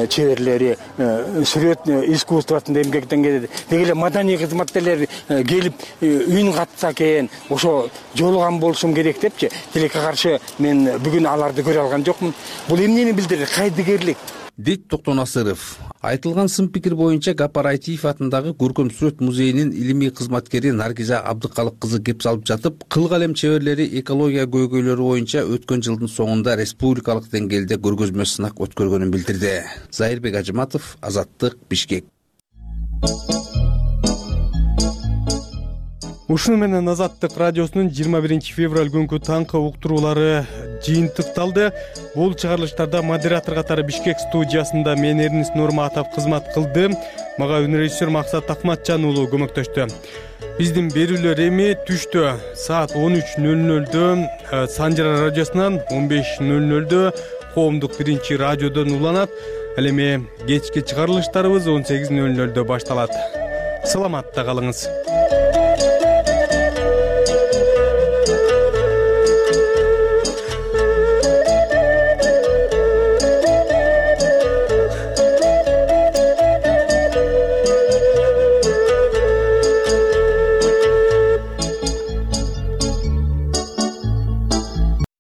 чеберлери, сүрөт искусствосунда эмгектен келет. Деги эле маданий кызматкерлер келип үн катса экен, ошо жолуган болушум керек депчи. Тилекке каршы мен бүгүн аларды көрө алган жокмун. Бул эмнени билдирет? Кайдыгерлик дейт Токтон Асыров. Айтылган сын пикир боюнча Гапар Айтиев атындагы Көркөм сүрөт музейинин илимий кызматкери Наргиза Абдыкалык кызы кеп салып жатып, кыл калем чеберлери экология көйгөйлөрү боюнча өткөн жылдын соңунда республикалык деңгээлде көргөзмө сынак өткөргөнүн билдирди. Зайырбек Ажыматов, Азаттык, Бишкек. Ушуну менен Азаттык радиосунун 21 февраль күнкү таңкы уктуруулары жыйынтыкталды. Бул чыгарылыштарда модератор катары Бишкек студиясында мен Эрнис Нурматов кызмат кылды. Мага үнрежиссер Максат Акматжан уулу көмөктөштү. Биздин берүүлөр эми түштө саат 13:00 Санжара радиосунан, 15:00 Коомдук биринчи радиодон уланат. Ал эми кечки чыгарылыштарыбыз 18:00 башталат. Саламатта калыңыз.